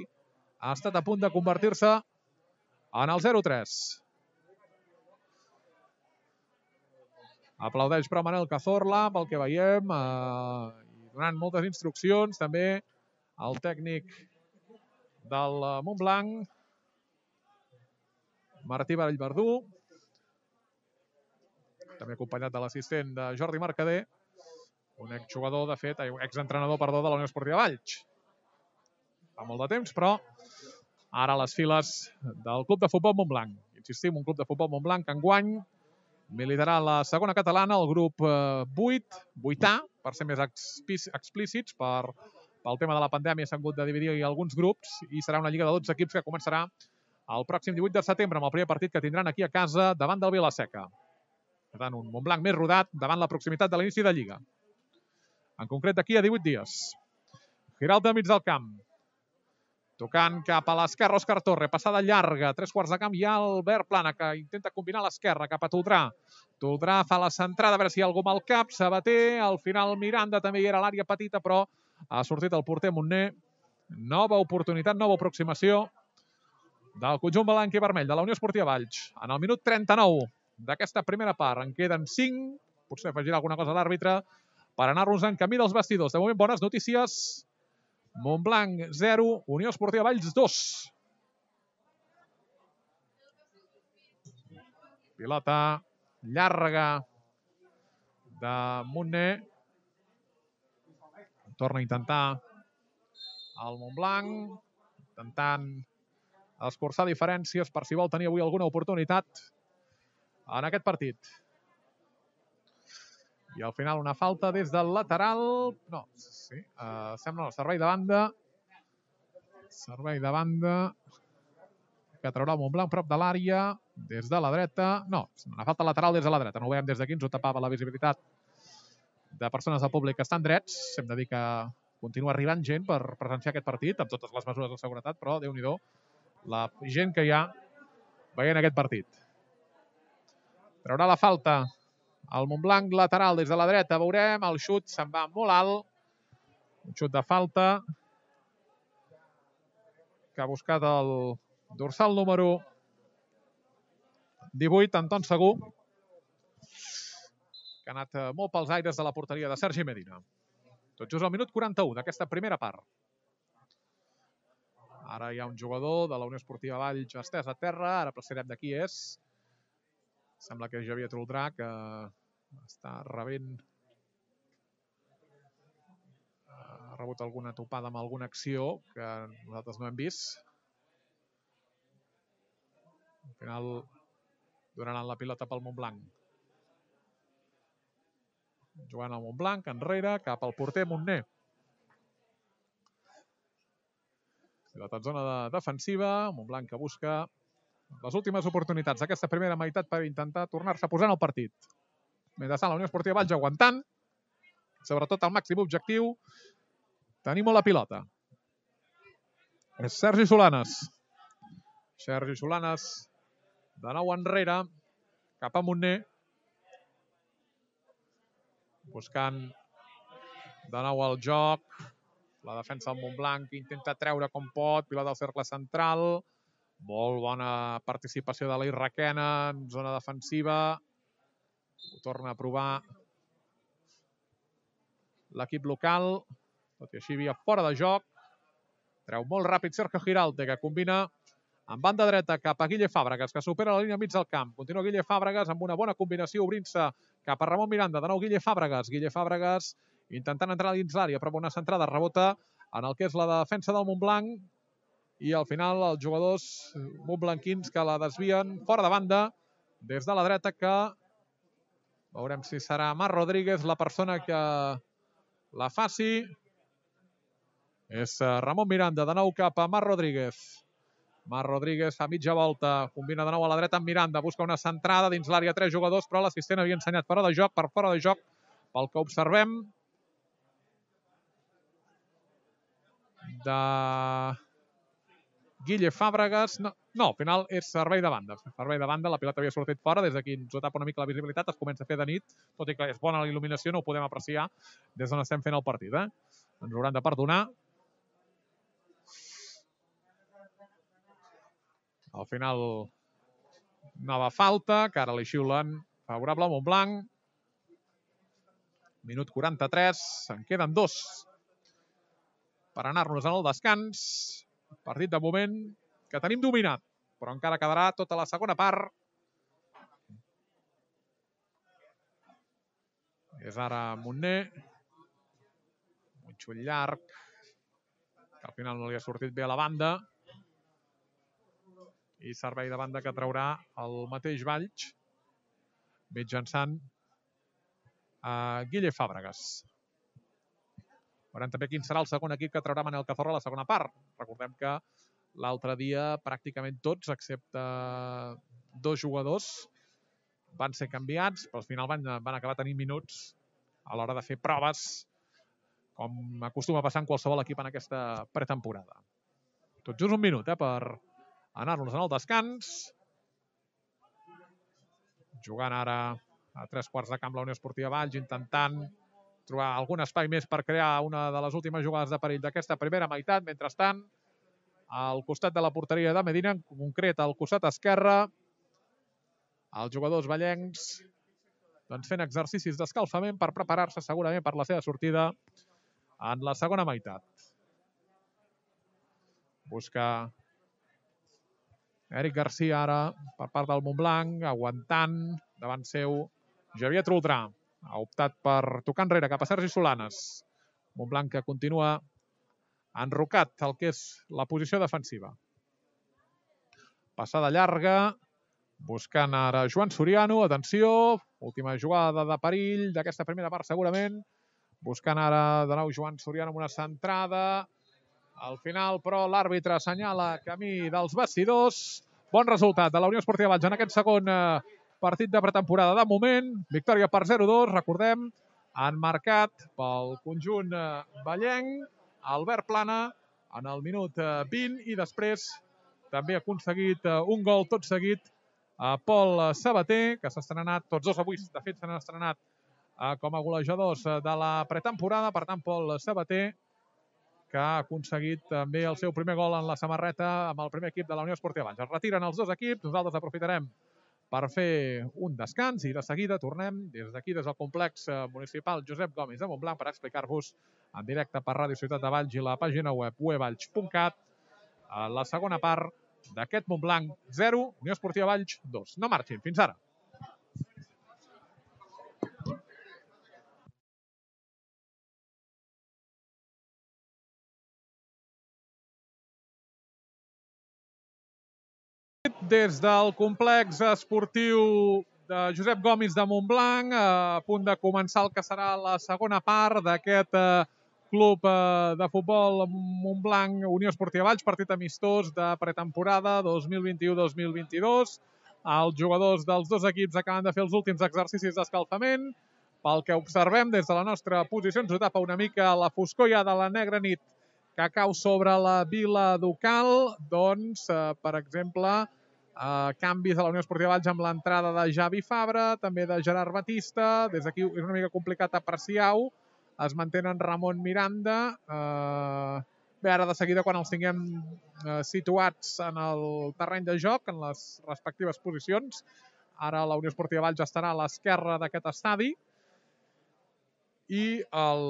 ha estat a punt de convertir-se en el 0-3. Aplaudeix però Manel Cazorla, pel que veiem, donant moltes instruccions. També el tècnic del Montblanc, Martí Vallverdú, també acompanyat de l'assistent de Jordi Mercader, un exjugador, de fet, exentrenador, perdó, de la Unió Esportiva Valls. Fa molt de temps, però ara a les files del Club de Futbol Montblanc. Insistim, un Club de Futbol Montblanc que enguany militarà la segona catalana, el grup 8A, per ser més explícits, pel tema de la pandèmia s'han hagut de dividir alguns grups i serà una lliga de 12 equips que començarà el pròxim 18 de setembre amb el primer partit que tindran aquí a casa davant del Vila-seca. Per tant, un Montblanc més rodat davant la proximitat de l'inici de Lliga. En concret, d'aquí a 18 dies. Giralt de mig del camp. Tocant cap a l'esquerra, Òscar Torre. Passada llarga, 3/4 de camp. Hi ha Albert Plana, que intenta combinar a l'esquerra cap a Toldrà. Toldrà fa la centrada, a veure si hi ha algú amb el cap. Sabater, al final Miranda també hi era a l'àrea petita, però ha sortit el porter Montner. Nova oportunitat, nova aproximació del conjunt blanc i vermell de la Unió Esportiva Valls. En el minut 39 d'aquesta primera part en queden 5. Potser afegirà alguna cosa a l'àrbitre per anar-nos en camí dels vestidors. De moment, bones notícies. Montblanc 0, Unió Esportiva Valls 2. Pilota llarga de Montner. Torna a intentar el Montblanc, intentant escurçar diferències per si vol tenir avui alguna oportunitat en aquest partit. I al final una falta des del lateral. No, sí, sembla el servei de banda. Servei de banda que traurà el Montblanc prop de l'àrea, des de la dreta. No, una falta lateral des de la dreta. No ho veiem des d'aquí, ens ho tapava la visibilitat de persones del públic que estan drets. Hem de dir que continua arribant gent per presenciar aquest partit, amb totes les mesures de seguretat, però Déu-n'hi-do la gent que hi ha veient aquest partit. Traurà la falta el Montblanc lateral des de la dreta. Veurem, el xut se'n va molt alt. Un xut de falta que ha buscat el dorsal número 18, Anton Segur. que ha anat molt pels aires de la porteria de Sergi Medina. Tot just al minut 41 d'aquesta primera part. Ara hi ha un jugador de la Unió Esportiva Valls estès a terra, ara precisarem de qui és. Sembla que és Javier Troldrà, que està rebent... Ha rebut alguna topada amb alguna acció que nosaltres no hem vist. Al final donaran la pilota pel Montblanc. Jugant al Montblanc, enrere, cap al porter Montner. Pilota en zona defensiva, Montblanc que busca les últimes oportunitats d'aquesta primera meitat per intentar tornar-se a posar en el partit. Mentrestant, la Unió Esportiva Valls aguantant, sobretot el màxim objectiu, tenir molt la pilota. És Sergi Solanes. Sergi Solanes, de nou enrere, cap a Montner. Buscant de nou el joc. La defensa del Montblanc intenta treure com pot. Pilota al cercle central. Molt bona participació de l'Ir Requena en zona defensiva. Ho torna a provar l'equip local. Tot i així havia fora de joc. Treu molt ràpid Sergio Giralde, que combina amb banda dreta cap a Guille Fàbregas, que supera la línia mig del camp. Continua Guille Fàbregas amb una bona combinació, obrint-se cap a Ramon Miranda. De nou Guille Fàbregas. Guille Fàbregas intentant entrar dins l'àrea, però una centrada rebota en el que és la defensa del Montblanc. I al final els jugadors montblanquins que la desvien fora de banda des de la dreta, que veurem si serà Marc Rodríguez la persona que la faci. És Ramon Miranda, de nou cap a Marc Rodríguez. Marc Rodríguez fa mitja volta, combina de nou a la dreta amb Miranda, busca una centrada dins l'àrea, 3 jugadors, però l'assistent havia ensenyat fora de joc, per fora de joc, pel que observem, de Guille Fàbregas. No, al final és servei de banda. Servei de banda, la pilota havia sortit fora, des d'aquí ens ho tapa una mica la visibilitat, es comença a fer de nit, tot i que és bona la il·luminació, no ho podem apreciar des d'on estem fent el partit. Ens hauran de perdonar. Al final, nova falta, que ara li xiulen favorable al Montblanc. Minut 43, en queden 2 per anar-nos en el descans. Partit de moment que tenim dominat, però encara quedarà tota la segona part. És ara Montner. Un xull llarg, que al final no li ha sortit bé a la banda. I servei de banda que traurà el mateix Valls, mitjançant Guille Fàbregas. Veurem també quin serà el segon equip que traurà Manel Cazorla a la segona part. Recordem que l'altre dia pràcticament tots, excepte 2 jugadors, van ser canviats, però al final van acabar tenint minuts a l'hora de fer proves, com acostuma a passar en qualsevol equip en aquesta pretemporada. Tot just un minut per anar-nos en el descans. Jugant ara a 3/4 de camp la Unió Esportiva Valls, intentant trobar algun espai més per crear una de les últimes jugades de perill d'aquesta primera meitat. Mentrestant, al costat de la porteria de Medina, en concret al costat esquerre, els jugadors vallencs fent exercicis d'escalfament per preparar-se segurament per la seva sortida en la segona meitat. Busca Eric Garcia ara per part del Montblanc, aguantant davant seu Javier Troldrà. Ha optat per tocar enrere cap a Sergi Solanes. Montblanc que continua enrocat el que és la posició defensiva. Passada llarga, buscant ara Joan Soriano. Atenció, última jugada de perill d'aquesta primera part segurament. Buscant ara de nou Joan Soriano amb una centrada. Al final, però, l'àrbitre assenyala camí dels vestidors. Bon resultat de la Unió Esportiva Valls en aquest segon partit de pretemporada. De moment, victòria per 0-2. Recordem, han marcat pel conjunt vallenc Albert Plana en el minut 20 i després també ha aconseguit un gol tot seguit a Pol Sabater, que s'ha estrenat, tots dos avui, de fet, s'han estrenat com a golejadors de la pretemporada. Per tant, Pol Sabater, que ha aconseguit també el seu primer gol en la samarreta amb el primer equip de la Unió Esportiva Valls. Es retiren els 2 equips, nosaltres aprofitarem per fer un descans i de seguida tornem des d'aquí, des del complex municipal Josep Gomis de Montblanc, per explicar-vos en directe per Ràdio Ciutat de Valls i la pàgina web wevalls.cat la segona part d'aquest Montblanc 0, Unió Esportiva Valls 2. No marxin, fins ara. Des del complex esportiu de Josep Gomis de Montblanc, a punt de començar el que serà la segona part d'aquest club de futbol Montblanc Unió Esportiva Valls, partit amistós de pretemporada 2021-2022. Els jugadors dels dos equips acaben de fer els últims exercicis d'escalfament. Pel que observem des de la nostra posició, ens ho tapa una mica la foscor ja de la negra nit que cau sobre la vila ducal. Doncs, per exemple, canvis a la Unió Esportiva Valls amb l'entrada de Javi Fabra, també de Gerard Batista. Des d'aquí és una mica complicat apreciar-ho. Es mantenen Ramon Miranda. Bé, ara de seguida, quan els tinguem situats en el terreny de joc, en les respectives posicions, ara la Unió Esportiva Valls estarà a l'esquerra d'aquest estadi i el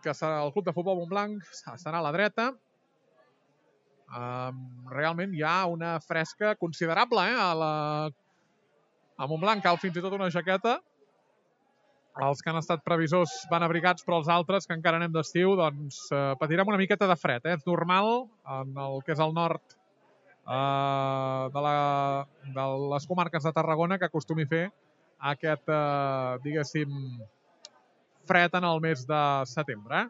que serà el Club de Futbol Montblanc estarà a la dreta. Realment hi ha una fresca considerable a Montblanc. Cal fins i tot una jaqueta. Els que han estat previsors van abrigats, però els altres, que encara anem d'estiu, doncs patirem una miqueta de fred. És normal en el que és el nord de les comarques de Tarragona que acostumi a fer aquest, diguéssim, fred en el mes de setembre.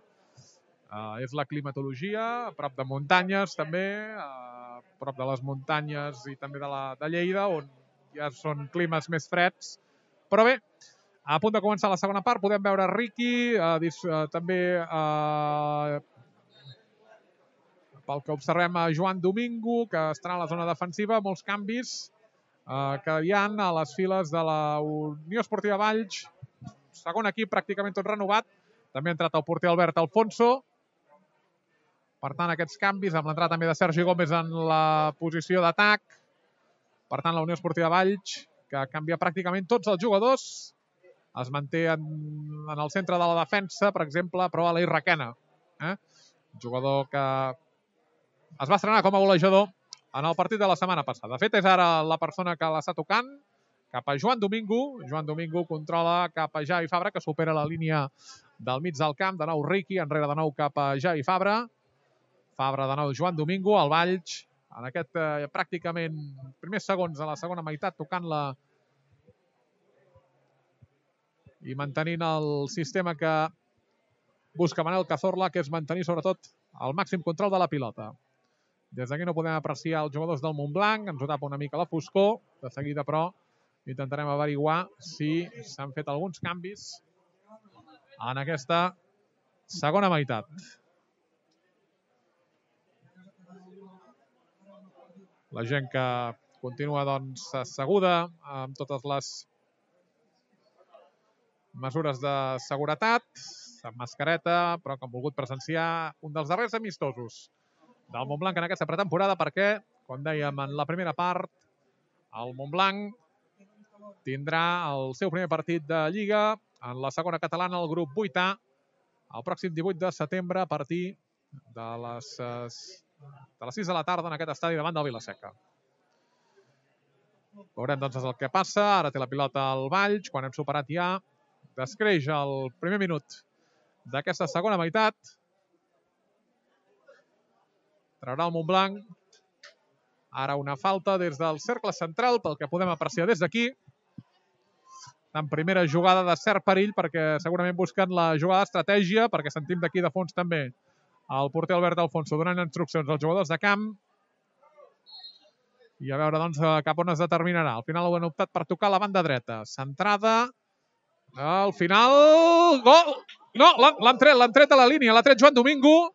És la climatologia, a prop de muntanyes també, a prop de les muntanyes i també de Lleida, on ja són climes més freds. Però bé, a punt de començar la segona part, podem veure Riqui, també pel que observem a Joan Domingo, que estarà a la zona defensiva, molts canvis que hi ha a les files de la Unió Esportiva Valls. Segon equip pràcticament tot renovat. També ha entrat el porter Albert Alfonso. Per tant, aquests canvis, amb l'entrada també de Sergi Gómez en la posició d'atac. Per tant, la Unió Esportiva Valls, que canvia pràcticament tots els jugadors. Es manté en el centre de la defensa, per exemple, però Aleix Requena. Jugador que es va estrenar com a golejador en el partit de la setmana passada. De fet, és ara la persona que l'està tocant cap a Joan Domingo. Joan Domingo controla cap a Javi Fabra, que supera la línia del mig del camp. De nou Riqui, enrere de nou cap a Javi Fabra. Fabra de nou Joan Domingo, el Valls, en aquest pràcticament primers segons de la segona meitat, tocant-la i mantenint el sistema que busca Manel Cazorla, que és mantenir sobretot el màxim control de la pilota. Des d'aquí no podem apreciar els jugadors del Montblanc, ens ho tapa una mica la foscor. De seguida, però, intentarem averiguar si s'han fet alguns canvis en aquesta segona meitat. La gent que continua doncs asseguda amb totes les mesures de seguretat, amb mascareta, però que han volgut presenciar un dels darrers amistosos del Montblanc en aquesta pretemporada, perquè, com dèiem en la primera part, el Montblanc tindrà el seu primer partit de Lliga en la segona catalana, el grup 8A, el pròxim 18 de setembre a partir de les 6 de la tarda en aquest estadi davant del Vila-seca. Veurem doncs el que passa. Ara té la pilota al Valls, quan hem superat ja descreix el primer minut d'aquesta segona meitat. Traurà el Montblanc. Ara una falta des del cercle central, pel que podem apreciar des d'aquí. En primera jugada de cert perill, perquè segurament busquen la jugada d'estratègia, perquè sentim d'aquí de fons també el porter Albert Alfonso donant instruccions als jugadors de camp. I a veure doncs cap on es determinarà. Al final ho han optat per tocar la banda dreta. Centrada. Al final... Gol! No, l'han tret a la línia. L'ha tret Joan Domingo.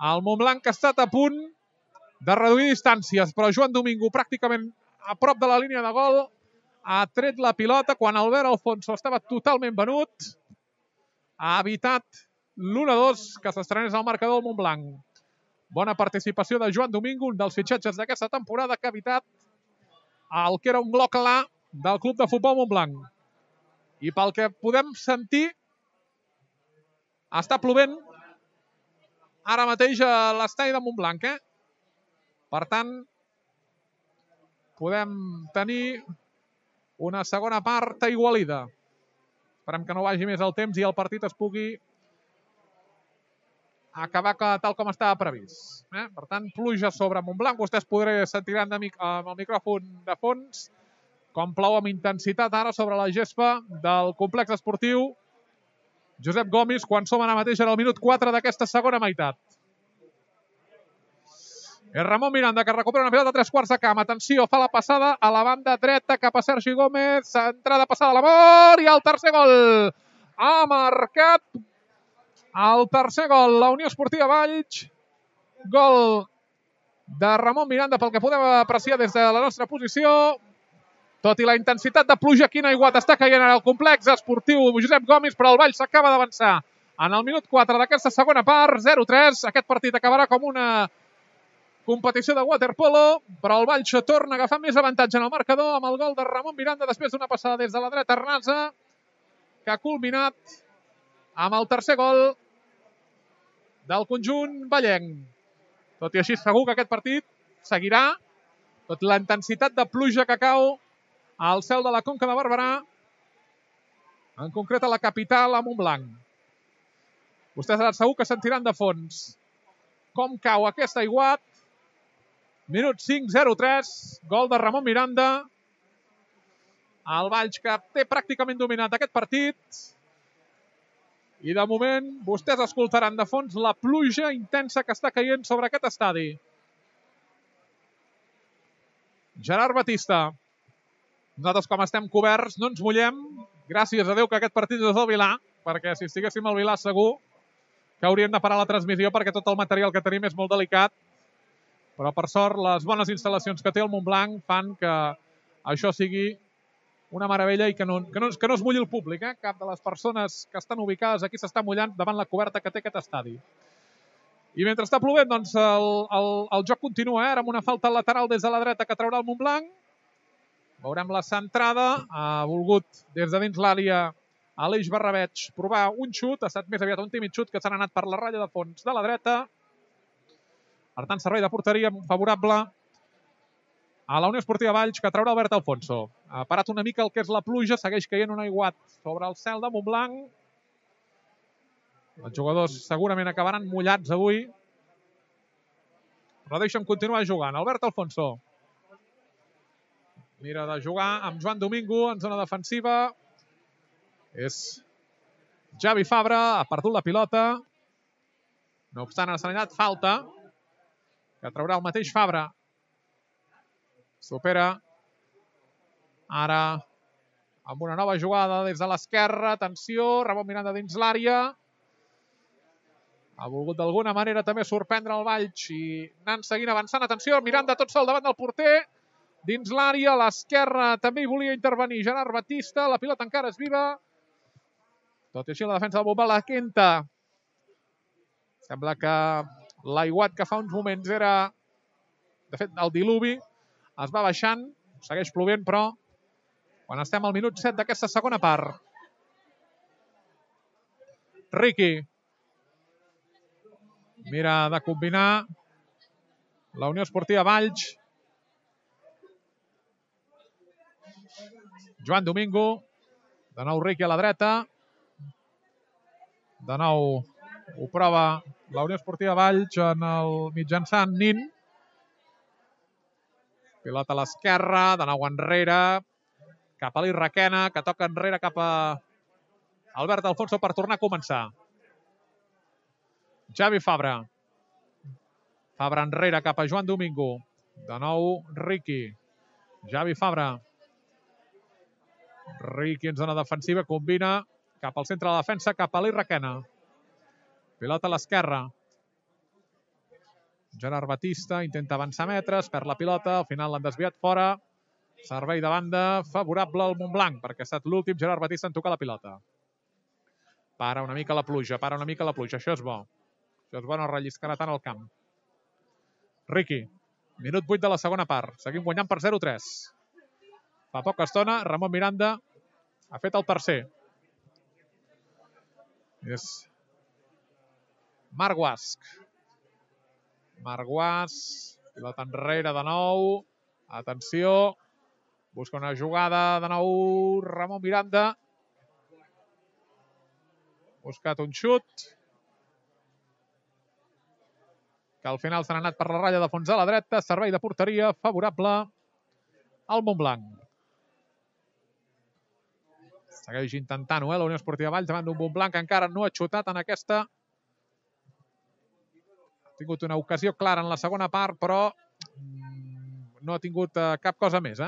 El Montblanc ha estat a punt de reduir distàncies, però Joan Domingo pràcticament a prop de la línia de gol ha tret la pilota quan Albert Alfonso estava totalment venut. Ha evitat l'1-2 que s'estrenés al marcador del Montblanc. Bona participació de Joan Domingo, un dels fitxatges d'aquesta temporada, que ha evitat el que era un gol clar del Club de Futbol Montblanc. I pel que podem sentir, està plovent ara mateix a l'estadi de Montblanc. Per tant, podem tenir una segona part aigualida. Esperem que no vagi més el temps i el partit es pugui acabar tal com estava previst. Per tant, pluja sobre Montblanc. Vostès sentiran amb el micròfon de fons com plou amb intensitat ara sobre la gespa del complex esportiu Josep Gomis quan som ara mateix en el minut 4 d'aquesta segona meitat. És Ramon Miranda que recupera una pilota a 3/4 de camp. Atenció, fa la passada a la banda dreta cap a Sergi Gómez. Entrada passada a l'amor i el tercer gol. Ha marcat el tercer gol la Unió Esportiva Valls. Gol de Ramon Miranda pel que podem apreciar des de la nostra posició. Tot i la intensitat de pluja, quin aiguat està caient en el complex esportiu Josep Gomis, però el Valls s'acaba d'avançar en el minut 4 d'aquesta segona part, 0-3. Aquest partit acabarà com una competició de waterpolo, però el Valls torna a agafar més avantatge en el marcador amb el gol de Ramon Miranda després d'una passada des de la dreta Arnasa, que ha culminat amb el tercer gol del conjunt vallenc. Tot i així, segur que aquest partit seguirà, tot i la intensitat de pluja que cau al cel de la Conca de Barberà, en concret a la capital, a Montblanc. Vostès segur que sentiran de fons com cau aquest aiguat. Minut 5, 0-3, gol de Ramon Miranda. El Valls que té pràcticament dominat aquest partit. I de moment vostès escoltaran de fons la pluja intensa que està caient sobre aquest estadi. Gerard Batista. Nosaltres, com estem coberts, no ens mullem. Gràcies a Déu que aquest partit és del Vilà, perquè si estiguéssim al Vilà segur que hauríem de parar la transmissió perquè tot el material que tenim és molt delicat. Però, per sort, les bones instal·lacions que té el Montblanc fan que això sigui una meravella i que no es mulli el públic. Cap de les persones que estan ubicades aquí s'està mullant davant la coberta que té aquest estadi. I mentre està plovent, doncs, el joc continua, amb una falta lateral des de la dreta que traurà el Montblanc. Veurem la centrada. Ha volgut, des de dins l'àrea, Aleix Barrabeig provar un xut. Ha estat més aviat un tímid xut que s'ha anat per la ratlla de fons de la dreta. Per tant, servei de porteria favorable a la Unió Esportiva Valls, que traurà Albert Alfonso. Ha parat una mica el que és la pluja, segueix caient un aiguat sobre el cel de Montblanc. Els jugadors segurament acabaran mullats avui, però deixa'm continuar jugant. Albert Alfonso mira de jugar amb Joan Domingo en zona defensiva. És Javi Fabra, ha perdut la pilota. No obstant, ha assenyalat falta, que traurà el mateix Fabra. Supera ara amb una nova jugada des de l'esquerra. Atenció, Ramon Miranda dins l'àrea. Ha volgut d'alguna manera també sorprendre el Valls i anant seguint avançant. Atenció, Miranda tot sol davant del porter. Dins l'àrea, a l'esquerra també hi volia intervenir Gerard Batista. La pilota encara és viva. Tot i així la defensa del Montblanc la quenta. Sembla que l'aiguat que fa uns moments era, de fet, el diluvi. Es va baixant, segueix plovent, però quan estem al minut 7 d'aquesta segona part. Riqui mira de combinar la Unió Esportiva Valls. Joan Domingo. De nou Riqui a la dreta. De nou ho prova la Unió Esportiva Valls en el mitjançant Nin. Pilota a l'esquerra, de nou enrere, cap a l'Irraquena, que toca enrere cap a Albert Alfonso per tornar a començar. Javi Fabra. Fabra enrere cap a Joan Domingo. De nou Riqui. Javi Fabra. Riqui en zona defensiva, combina cap al centre de la defensa, cap a l'Irraquena. Pilota a l'esquerra. Gerard Batista intenta avançar metres, perd la pilota, al final l'han desviat fora. Servei de banda favorable al Montblanc, perquè ha estat l'últim Gerard Batista en tocar la pilota. Para una mica la pluja, això és bo. Això és bo, no relliscarà tant al camp. Riqui, minut 8 de la segona part. Seguim guanyant per 0-3. Fa poca estona, Ramon Miranda ha fet el tercer. És Marc Guasch. Marc Guasch, pilota enrere de nou. Atenció, busca una jugada de nou Ramon Miranda. Buscat un xut, que al final s'han anat per la ratlla de fons a la dreta. Servei de porteria favorable al Montblanc. Segueix intentant-ho, la Unió Esportiva Valls davant d'un Montblanc que encara no ha xutat en aquesta. Ha tingut una ocasió clara en la segona part, però no ha tingut cap cosa més.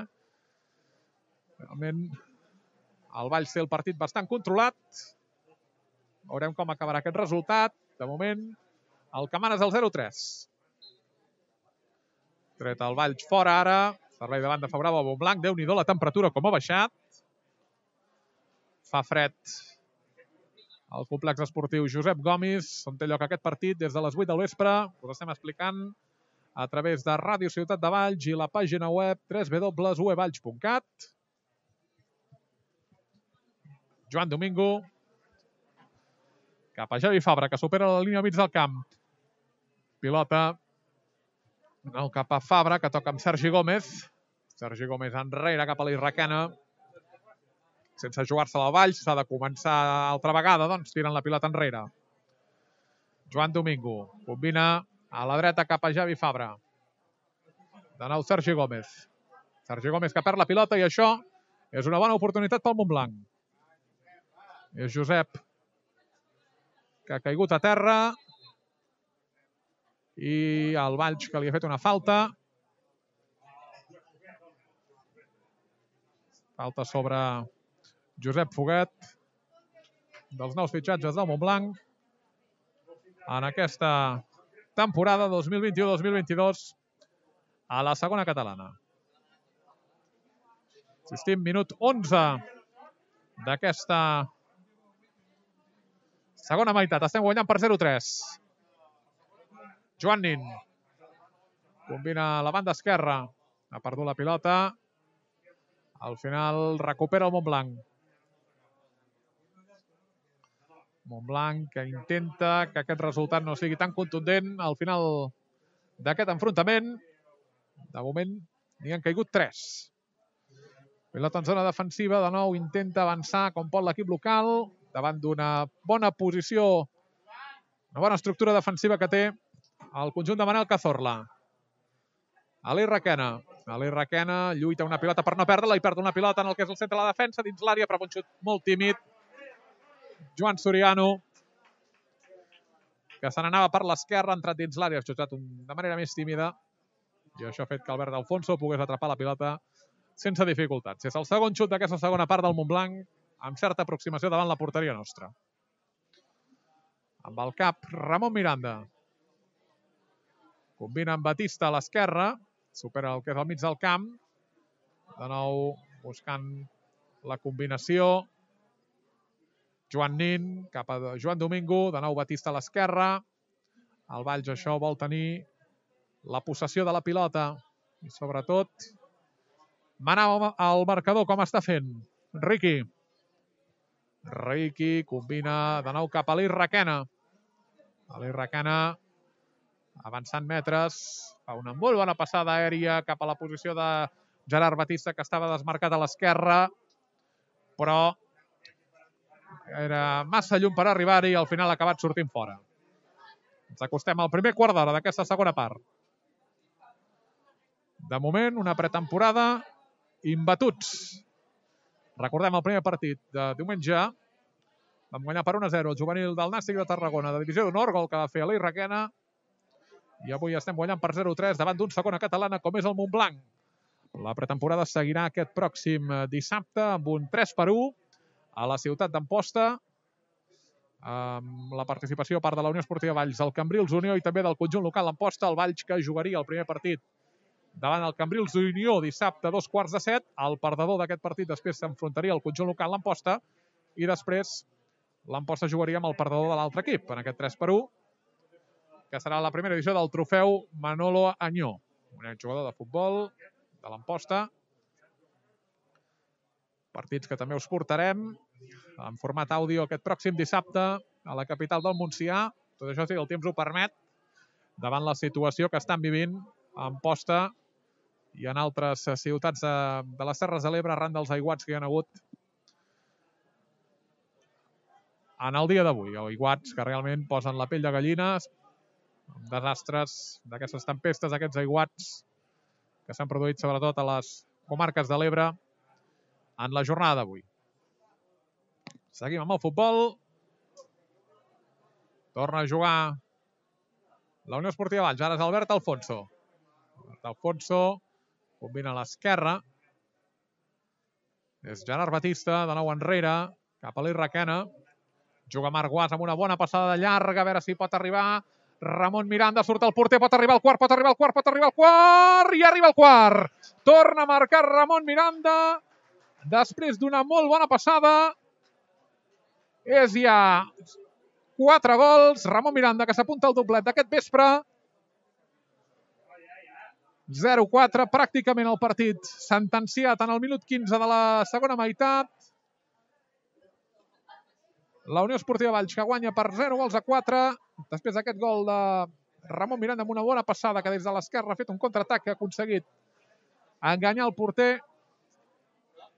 Realment, el Valls té el partit bastant controlat. Veurem com acabarà aquest resultat. De moment, el que mana és el 0-3. Tret el Valls fora ara. Servei de banda favorable al Montblanc. Déu-n'hi-do la temperatura com ha baixat. Fa fred al complex esportiu Josep Gomis, on té lloc aquest partit des de les 8 del vespre. Us estem explicant a través de Ràdio Ciutat de Valls i la pàgina web www.uevalls.cat. Joan Domingo. Cap a Javi Fabra, que supera la línia mig del camp. Pilota cap a Fabra, que toca amb Sergi Gómez. Sergi Gómez enrere cap a l'Irraquena. Sense jugar-se al Valls, s'ha de començar altra vegada, doncs tiren la pilota enrere. Joan Domingo combina a la dreta cap a Javi Fabra. De nou Sergi Gómez. Sergi Gómez que perd la pilota i això és una bona oportunitat pel Montblanc. És Josep, que ha caigut a terra, i el Valls que li ha fet una falta. Falta sobre Josep Foguet, dels nous fitxatges del Montblanc en aquesta temporada 2021-2022 a la segona catalana. Assistim, minut 11 d'aquesta segona meitat. Estem guanyant per 0-3. Joan Nin combina a la banda esquerra. Ha perdut la pilota. Al final recupera el Montblanc. Montblanc que intenta que aquest resultat no sigui tan contundent al final d'aquest enfrontament. De moment n'hi han caigut 3. Pilota en zona defensiva, de nou intenta avançar com pot l'equip local davant d'una bona posició, una bona estructura defensiva que té el conjunt de Manel Cazorla. Aleix Requena. Aleix Requena lluita una pilota per no perdre-la i perd una pilota en el que és el centre de la defensa dins l'àrea, però un xut molt tímid. Joan Soriano, que se n'anava per l'esquerra, ha entrat dins l'àrea, ha xutat de manera més tímida i això ha fet que Albert D'Alfonso pogués atrapar la pilota sense dificultats. És el segon xut d'aquesta segona part del Montblanc, amb certa aproximació davant la porteria nostra. Amb el cap, Ramon Miranda. Combina amb Batista a l'esquerra, supera el que és al mig del camp. De nou buscant la combinació. Joan Nin cap a Joan Domingo, de nou Batista a l'esquerra. El Valls això vol tenir la possessió de la pilota i sobretot manar al marcador com està fent. Riqui combina de nou cap a Aleix Requena. Aleix Requena avançant metres, fa una molt bona passada aèria cap a la posició de Gerard Batista, que estava desmarcat a l'esquerra, però era massa llum per arribar-hi i al final ha acabat sortint fora. Ens acostem al primer quart d'hora d'aquesta segona part. De moment, una pretemporada imbatuts. Recordem el primer partit de diumenge. Vam guanyar per 1-0 el juvenil del Nàstic de Tarragona, de divisió d'honor, gol que va fer Aleix Requena. I avui estem guanyant per 0-3 davant d'un segona catalana com és el Montblanc. La pretemporada seguirà aquest pròxim dissabte amb un 3-1 a la ciutat d'Amposta, amb la participació a part de la Unió Esportiva Valls, el Cambrils Unió i també del conjunt local Amposta, el Valls que jugaria el primer partit davant el Cambrils Unió dissabte a 2:45. El perdedor d'aquest partit després s'enfrontaria al conjunt local l'Amposta i després l'Amposta jugaria amb el perdedor de l'altre equip en aquest 3-1, que serà la primera edició del trofeu Manolo Añó, un jugador de futbol de l'Amposta, Partits que també us portarem en format àudio aquest pròxim dissabte a la capital del Montsià. Tot això, si el temps ho permet, davant la situació que estan vivint a Amposta i en altres ciutats de les Terres de l'Ebre arran dels aiguats que hi ha hagut en el dia d'avui. Aiguats que realment posen la pell de gallines, desastres d'aquestes tempestes, aquests aiguats que s'han produït sobretot a les comarques de l'Ebre en la jornada d'avui. Seguim amb el futbol. Torna a jugar la Unió Esportiva Valls. Ara és Albert Alfonso. Albert Alfonso combina a l'esquerra. És Gerard Batista, de nou enrere, cap a l'Irraquena. Juga Marc Guas amb una bona passada de llarga, a veure si pot arribar. Ramon Miranda, surt el porter, pot arribar al quart, pot arribar al quart, pot arribar al quart, i arriba al quart. Torna a marcar Ramon Miranda, després d'una molt bona passada. És ja 4 gols. Ramon Miranda, que s'apunta al doblet d'aquest vespre. 0-4, pràcticament el partit sentenciat en el minut 15 de la segona meitat. La Unió Esportiva Valls, que guanya per 0-4, després d'aquest gol de Ramon Miranda amb una bona passada, que des de l'esquerra ha fet un contraatac que ha aconseguit enganyar el porter,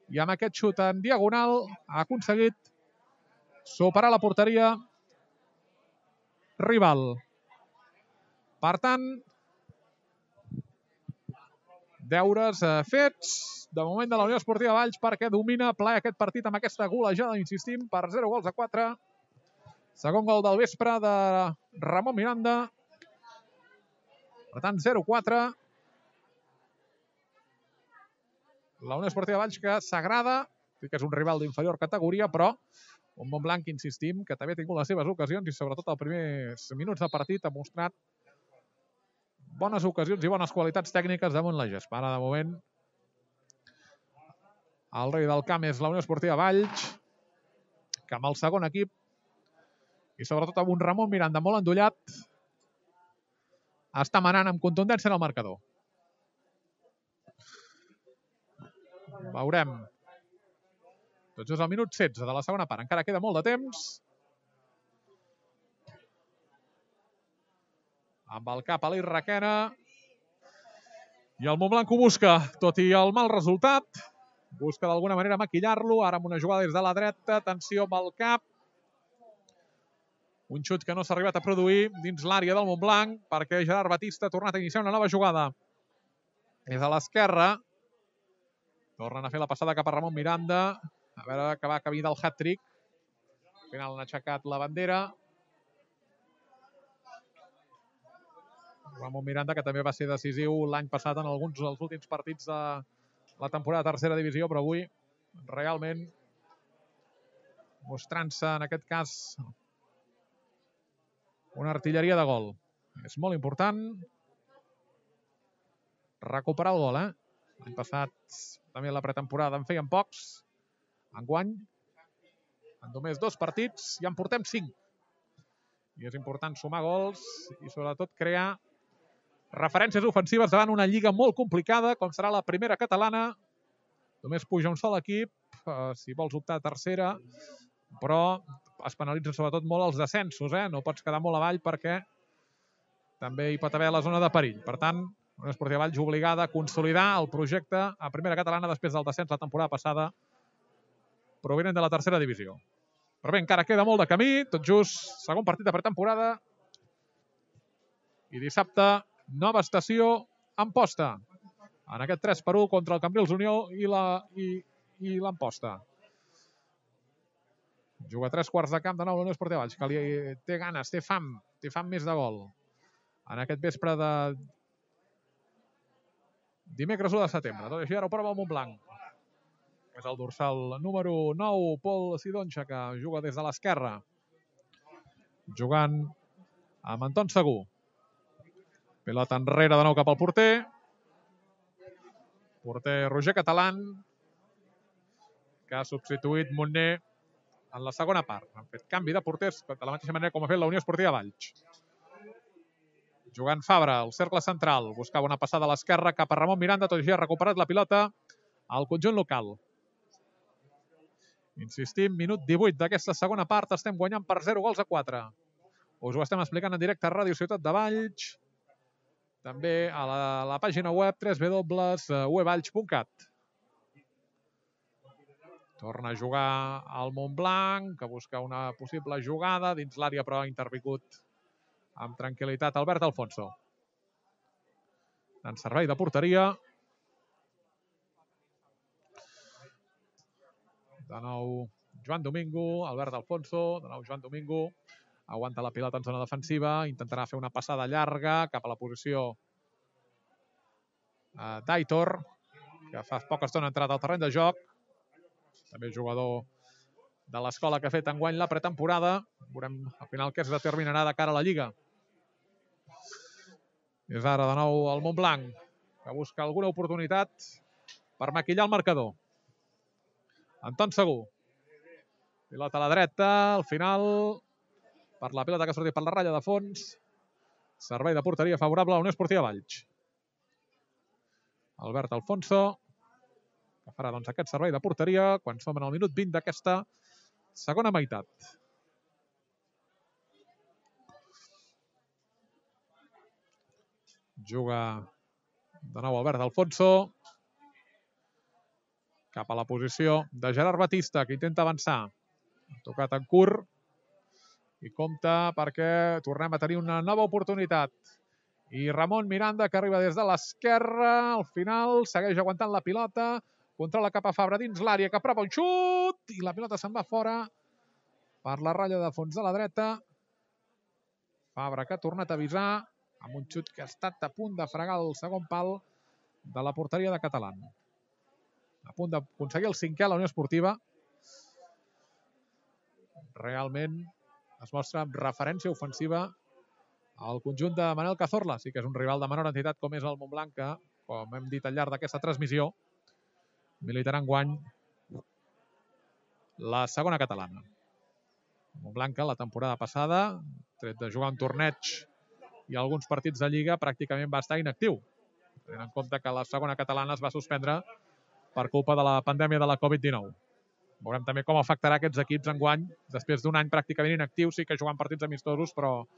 i amb aquest xut en diagonal ha aconseguit superar la porteria rival. Per tant, deures fets de moment de la Unió Esportiva Valls, perquè domina ple aquest partit amb aquesta golejada, insistim, per 0-4. Segon gol del vespre de Ramon Miranda. Per tant, 0-4. La Unió Esportiva Valls, que s'agrada, que és un rival d'inferior categoria, però un Montblanc, insistim, que també ha tingut les seves ocasions i sobretot els primers minuts de partit ha mostrat bones ocasions i bones qualitats tècniques damunt la gespa. Ara, de moment, el rei del camp és la Unió Esportiva Valls, que amb el segon equip i sobretot amb un Ramon Miranda molt endollat està manant amb contundència en el marcador. Veurem. Tot just al minut 16 de la segona part. Encara queda molt de temps. Amb el cap a l'Irraquena. I el Montblanc ho busca, tot i el mal resultat. Busca d'alguna manera maquillar-lo. Ara amb una jugada des de la dreta. Atenció amb el cap. Un xut que no s'ha arribat a produir dins l'àrea del Montblanc, perquè Gerard Batista ha tornat a iniciar una nova jugada. Des de l'esquerra. Tornen a fer la passada cap a Ramon Miranda. A veure que va camí del hat-trick. Al final han aixecat la bandera. Ramon Miranda, que també va ser decisiu l'any passat en alguns dels últims partits de la temporada de tercera divisió, però avui realment mostrant-se en aquest cas una artilleria de gol. És molt important recuperar el gol, L'any passat també la pretemporada en feien pocs. Enguany, en només 2 partits, ja en portem 5. I és important sumar gols i sobretot crear referències ofensives davant una lliga molt complicada, com serà la primera catalana. Només puja un sol equip, si vols optar a tercera, però es penalitzen sobretot molt els descensos, No pots quedar molt avall perquè també hi pot haver la zona de perill. Per tant, la Unió Esportiva Valls obligada a consolidar el projecte a primera catalana després del descens la temporada passada provinent de la tercera divisió. Però bé, encara queda molt de camí, tot just segon partit de pretemporada. I dissabte, nova estació Amposta. En aquest 3-1 contra el Cambrils Unió i l'Amposta. Juga 3 quarts de camp de nou la Unió Esportiva Valls, que li té ganes, té fam més de gol. En aquest vespre de dimecres 1 de setembre. Tot i així, ara ho prova el Montblanc. És el dorsal número 9, Pol Sidonxa, que juga des de l'esquerra. Jugant amb Anton Segur. Pilota enrere de nou cap al porter. Porter Roger Catalán, que ha substituït Montner en la segona part. Han fet canvi de porters de la mateixa manera com ha fet la Unió Esportiva Valls. Jugant Fabra, al cercle central. Buscava una passada a l'esquerra cap a Ramon Miranda, tot i així ha recuperat la pilota al conjunt local. Insistim, minut 18 d'aquesta segona part. Estem guanyant per 0-4. Us ho estem explicant en directe a Ràdio Ciutat de Valls. També a la pàgina web www.wevalls.cat. Torna a jugar al Montblanc, que busca una possible jugada dins l'àrea, però ha intervingut amb tranquil·litat Albert Alfonso. En servei de porteria. De nou Joan Domingo, Albert Alfonso, de nou Joan Domingo. Aguanta la pilota en zona defensiva, intentarà fer una passada llarga cap a la posició d'Aitor, que fa poca estona ha entrat al terreny de joc. També jugador de l'escola que ha fet enguany la pretemporada. Veurem al final què es determinarà de cara a la Lliga. És ara de nou el Montblanc, que busca alguna oportunitat per maquillar el marcador. Anton Segur. Pilota a la dreta, al final, per la pilota que ha sortit per la ratlla de fons. Servei de porteria favorable a la Unió Esportiva Valls. Albert Alfonso, que farà doncs, aquest servei de porteria quan som en el minut 20 d'aquesta segona meitat. Juga de nou Albert Alfonso. Cap a la posició de Gerard Batista, que intenta avançar. Ha tocat en curt. I compta perquè tornem a tenir una nova oportunitat. I Ramon Miranda, que arriba des de l'esquerra. Al final segueix aguantant la pilota. Controla cap a Fabra dins l'àrea, que prova un xut. I la pilota se'n va fora per la ratlla de fons de la dreta. Fabra, que ha tornat a avisar amb un xut que ha estat a punt de fregar el segon pal de la porteria de Catalán. A punt d'aconseguir el 5è a la Unió Esportiva. Realment es mostra amb referència ofensiva al conjunt de Manel Cazorla. Sí que és un rival de menor entitat com és el Montblanc, que, com hem dit al llarg d'aquesta transmissió, militarà enguany la segona catalana. Montblanc, la temporada passada, tret de jugar un torneig i alguns partits de Lliga, pràcticament va estar inactiu. Tenint en compte que la segona catalana es va suspendre per culpa de la pandèmia de la Covid-19. Veurem també com afectarà aquests equips enguany, després d'un any pràcticament inactiu, sí que jugant partits amistosos, però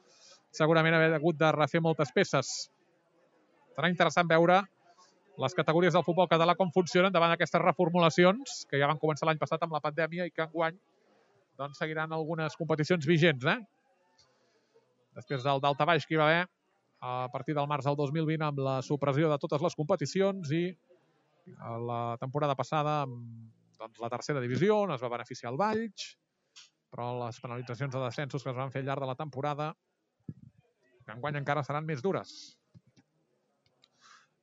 segurament haver hagut de refer moltes peces. Serà interessant veure les categories del futbol català com funcionen davant d'aquestes reformulacions, que ja van començar l'any passat amb la pandèmia i que enguany doncs, seguiran algunes competicions vigents. Després del daltabaix que hi va haver a partir del març del 2020 amb la supressió de totes les competicions i la temporada passada amb la tercera divisió, on es va beneficiar el Valls, però les penalitzacions de descensos que es van fer al llarg de la temporada, que enguany encara seran més dures.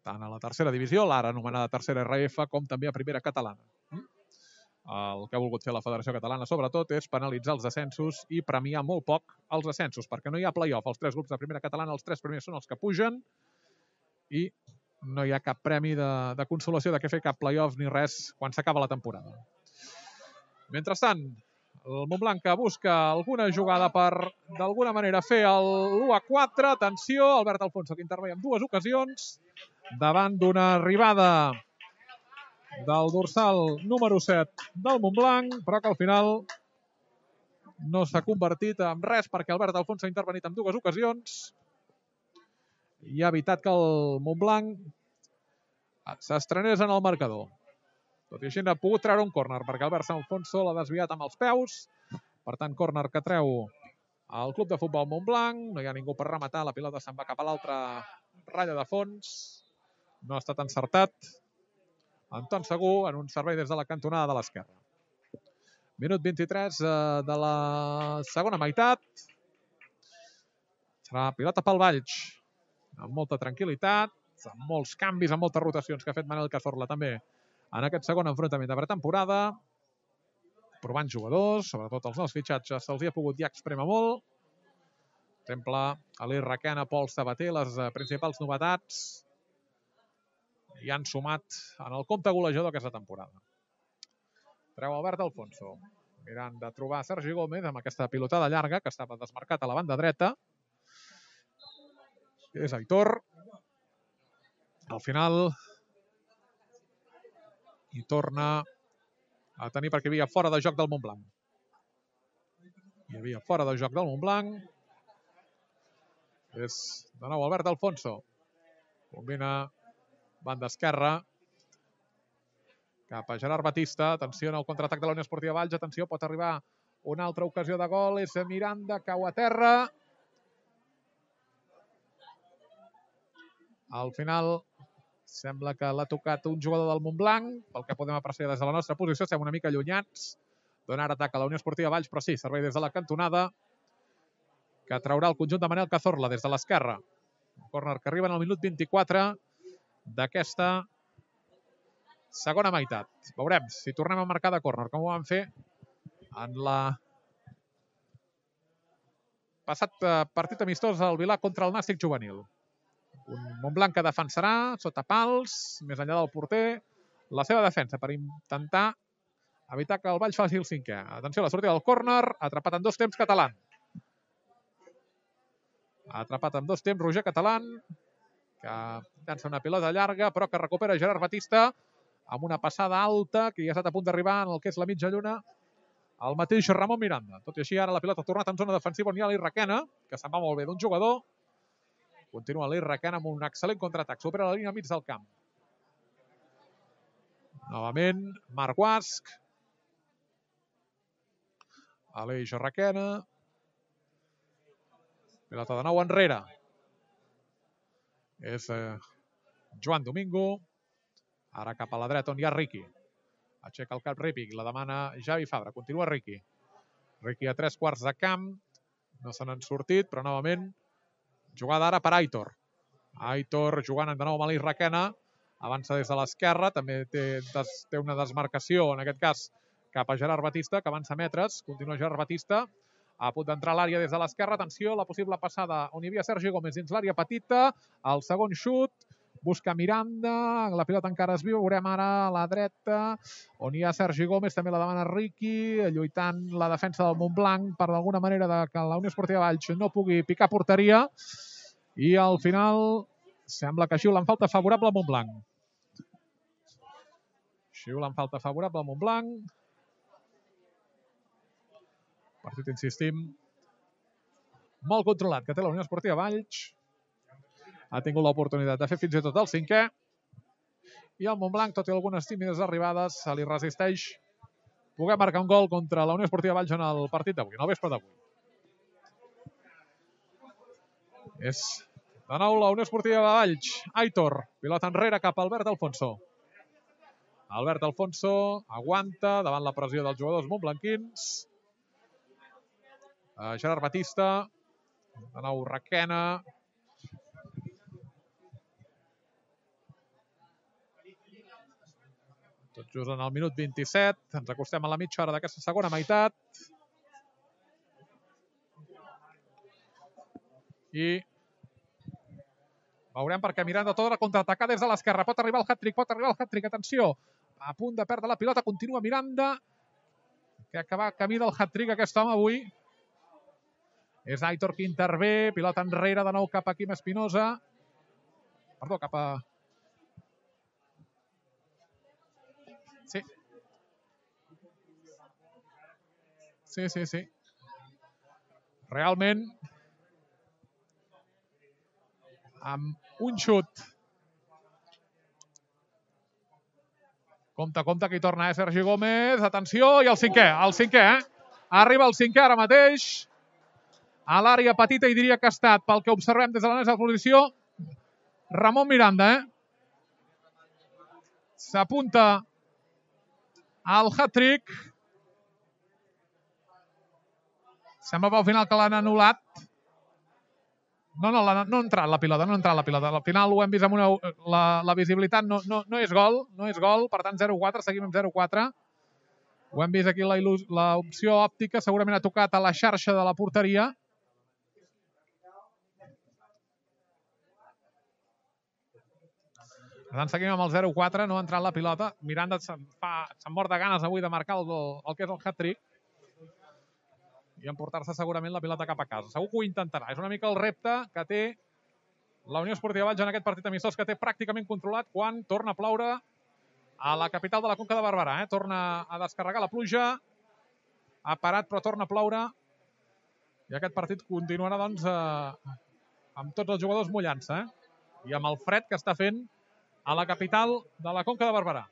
Tant a la tercera divisió, l'ara anomenada tercera RF, com també a primera catalana. El que ha volgut fer la Federació Catalana, sobretot, és penalitzar els descensos i premiar molt poc els ascensos, perquè no hi ha play-off. Els 3 grups de primera catalana, els 3 primers són els que pugen i no hi ha cap premi de consolació de què fer cap play-off ni res quan s'acaba la temporada. Mentrestant, el Montblanc que busca alguna jugada per, d'alguna manera, fer l'1-4. Atenció, Albert Alfonso, que intervé en 2 ocasions, davant d'una arribada del dorsal número 7 del Montblanc, però que al final no s'ha convertit en res perquè Albert Alfonso ha intervenit en 2 ocasions i ha evitat que el Montblanc s'estrenés en el marcador. Tot i així ha pogut treure un córner perquè Albert Alfonso l'ha desviat amb els peus. Per tant, córner que treu el club de futbol Montblanc. No hi ha ningú per rematar, la pilota se'n va cap a l'altra ratlla de fons. No ha estat encertat. Anton Segur en un servei des de la cantonada de l'esquerra. Minut 23 de la segona meitat. Serà pilota pel Valls. Amb molta tranquil·litat, amb molts canvis, amb moltes rotacions que ha fet Manel Cazorla també en aquest segon enfrontament de pretemporada. Provant jugadors, sobretot els nous fitxatges, se'ls hi ha pogut ja exprémer molt. Per exemple, Ali Requena, Pol Sabater, les principals novetats, i han sumat en el compte golejador aquesta temporada. Treu Albert Alfonso, mirant de trobar Sergi Gómez amb aquesta pilotada llarga que estava desmarcat a la banda dreta. És Aitor. Al final hi torna a tenir perquè hi havia fora de joc del Montblanc. Hi havia fora de joc del Montblanc. És de nou Albert Alfonso. Combina banda esquerra cap a Gerard Batista. Atenció en el contraatac de la Unió Esportiva Valls. Atenció, pot arribar una altra ocasió de gol. És Miranda, cau a terra. Al final sembla que l'ha tocat un jugador del Montblanc. Pel que podem apreciar des de la nostra posició, estem una mica allunyats. Dona ara atac a la Unió Esportiva Valls, però sí, servei des de la cantonada, que traurà el conjunt de Manel Cazorla des de l'esquerra. Un córner que arriba en el minut 24 d'aquesta segona meitat. Veurem si tornem a marcar de córner, com ho vam fer en la passat partit amistós al Vilà contra el Nàstic juvenil. Un Montblanc que defensarà sota pals, més enllà del porter, la seva defensa per intentar evitar que el Valls faci el cinquè. Atenció a la sortida del córner, atrapat en dos temps Catalán. Atrapat en dos temps Roger Catalán, que llança una pilota llarga, però que recupera Gerard Batista amb una passada alta, que ja ha estat a punt d'arribar en el que és la mitja lluna, el mateix Ramon Miranda. Tot i així, ara la pilota ha tornat en zona defensiva on hi ha l'Irraquena, que se'n va molt bé d'un jugador. Continua l'Irraquena amb un excel·lent contraatac. Supera la línia mig del camp. Novament, Marc Guasc. Aleix Irraquena. Pilota de nou enrere. És Joan Domingo. Ara cap a la dreta on hi ha Riqui. Aixeca el cap Riqui, la demana Javi Fabra. Continua Riqui. Riqui a 3/4 de camp. No se n'han sortit, però novament jugada ara per Aitor. Aitor jugant de nou amb l'Irraquena. Avança des de l'esquerra. També té una desmarcació, en aquest cas, cap a Gerard Batista, que avança metres. Continua Gerard Batista. A punt d'entrar a l'àrea des de l'esquerra. Atenció, la possible passada on hi havia Sergi Gómez dins l'àrea petita. El segon xut. Busca Miranda. La pilota encara es viu. Veurem ara a la dreta on hi ha Sergi Gómez. També la demana Riqui. Lluitant la defensa del Montblanc per d'alguna manera que la Unió Esportiva Valls no pugui picar porteria. I al final sembla que xiulen falta favorable al Montblanc. Xiulen falta favorable al Montblanc. Partit, insistim, molt controlat, que té la Unió Esportiva Valls. Ha tingut l'oportunitat de fer fins i tot el cinquè. I el Montblanc, tot i algunes tímides arribades, se li resisteix poder marcar un gol contra la Unió Esportiva Valls en el partit d'avui, en el vespre d'avui. És de nou la Unió Esportiva Valls. Aitor, pilota enrere cap a Albert Alfonso. Albert Alfonso aguanta davant la pressió dels jugadors montblanquins. Gerard Batista, de nou Requena. Tot just en el minut 27. Ens acostem a la mitja hora d'aquesta segona meitat. I veurem perquè Miranda torna a contraatacar des de l'esquerra. Pot arribar el hat-trick, atenció. A punt de perdre la pilota, continua Miranda, que acaba camí del hat-trick aquest home avui. És Aitor qui intervé, pilota enrere de nou cap a Quim Espinosa. Perdó, cap a... Sí. Sí. Realment, amb un xut. Compte, que hi torna Sergi Gómez. Atenció, i el cinquè, Arriba el cinquè ara mateix. A l'àrea petita, i diria que ha estat, pel que observem des de la nostra posició, Ramon Miranda, S'apunta al hat-trick. Sembla pel final que l'han anul·lat. No ha entrat la pilota, Al final ho hem vist amb la visibilitat, no és gol, per tant 0-4, seguim amb 0-4. Ho hem vist aquí l'opció òptica, segurament ha tocat a la xarxa de la porteria. Per tant, seguim amb el 0-4, no ha entrat la pilota. Miranda se'n mort de ganes avui de marcar el que és el hat-trick i emportar-se segurament la pilota cap a casa. Segur que ho intentarà. És una mica el repte que té la Unió Esportiva Valls en aquest partit amistós, que té pràcticament controlat quan torna a ploure a la capital de la Conca de Barberà. Torna a descarregar la pluja. Ha parat, però torna a ploure. I aquest partit continuarà, doncs, amb tots els jugadors mullant-se. I amb el fred que està fent a la capital de la Conca de Barberà.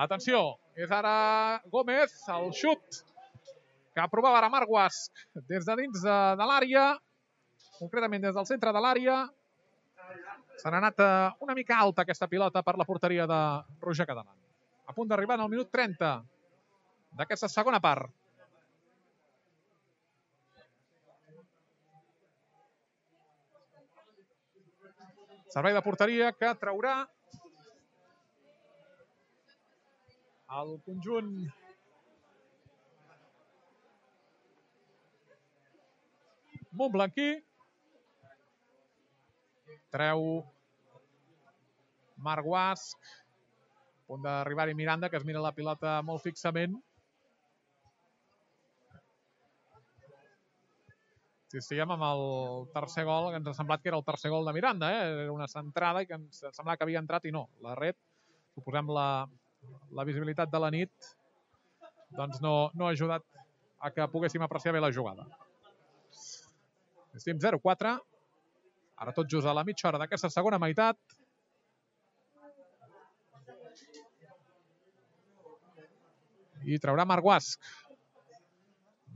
Atenció, és ara Gómez, el xut que provava ara Marc Guasch des de dins de l'àrea, concretament des del centre de l'àrea. Se n'ha anat una mica alta aquesta pilota per la porteria de Roger Catalán. A punt d'arribar en el minut 30 d'aquesta segona part. Servei de porteria que traurà el conjunt montblanquí. Treu Marc Guasch. A punt d'arribar-hi Miranda, que es mira la pilota molt fixament. Si estiguem amb el tercer gol, que ens ha semblat que era el tercer gol de Miranda. Era una centrada i que ens semblava que havia entrat i no. La red, suposem la visibilitat de la nit, doncs no ha ajudat a que poguéssim apreciar bé la jugada. Estem 0-4. Ara tot just a la mitja hora d'aquesta segona meitat. I traurà Marc Guasch.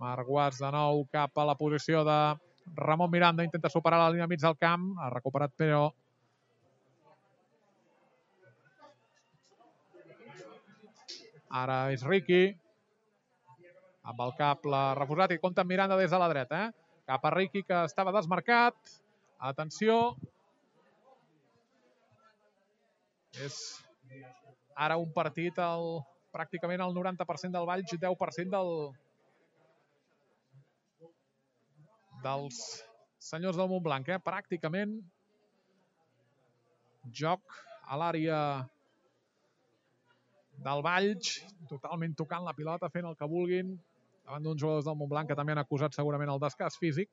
Marc Guasch de nou cap a la posició de Ramon Miranda. Intenta superar la línia mig del camp. Ha recuperat, però ara és Riqui. Amb el cap l'ha refusat i compta amb Miranda des de la dreta. Cap a Riqui, que estava desmarcat. Atenció. És ara un partit pràcticament el 90% del Valls i 10% dels senyors del Montblanc. Pràcticament joc a l'àrea del Valls, totalment tocant la pilota, fent el que vulguin, davant d'uns jugadors del Montblanc que també han acusat segurament el desgast físic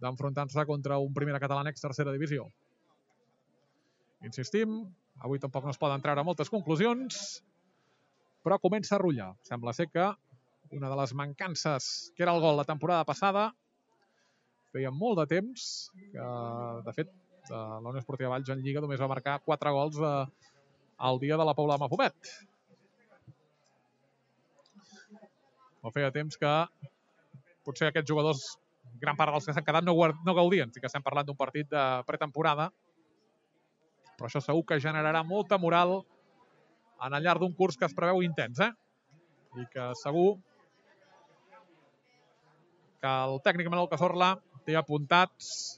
d'enfrontar-se contra un Primera Catalana ex-tercera divisió. Insistim, avui tampoc no es poden treure moltes conclusions, però comença a rotllar. Sembla ser que una de les mancances que era el gol la temporada passada, feia molt de temps que, de fet, la Unió Esportiva Valls en Lliga només va marcar 4 gols al dia de la Pobla de Mafumet. O feia temps que potser aquests jugadors, gran part dels que s'han quedat, no gaudien. Sí que estem parlant d'un partit de pretemporada, però això segur que generarà molta moral en el llarg d'un curs que es preveu intens, i que segur que el tècnic Manuel Cazorla té apuntats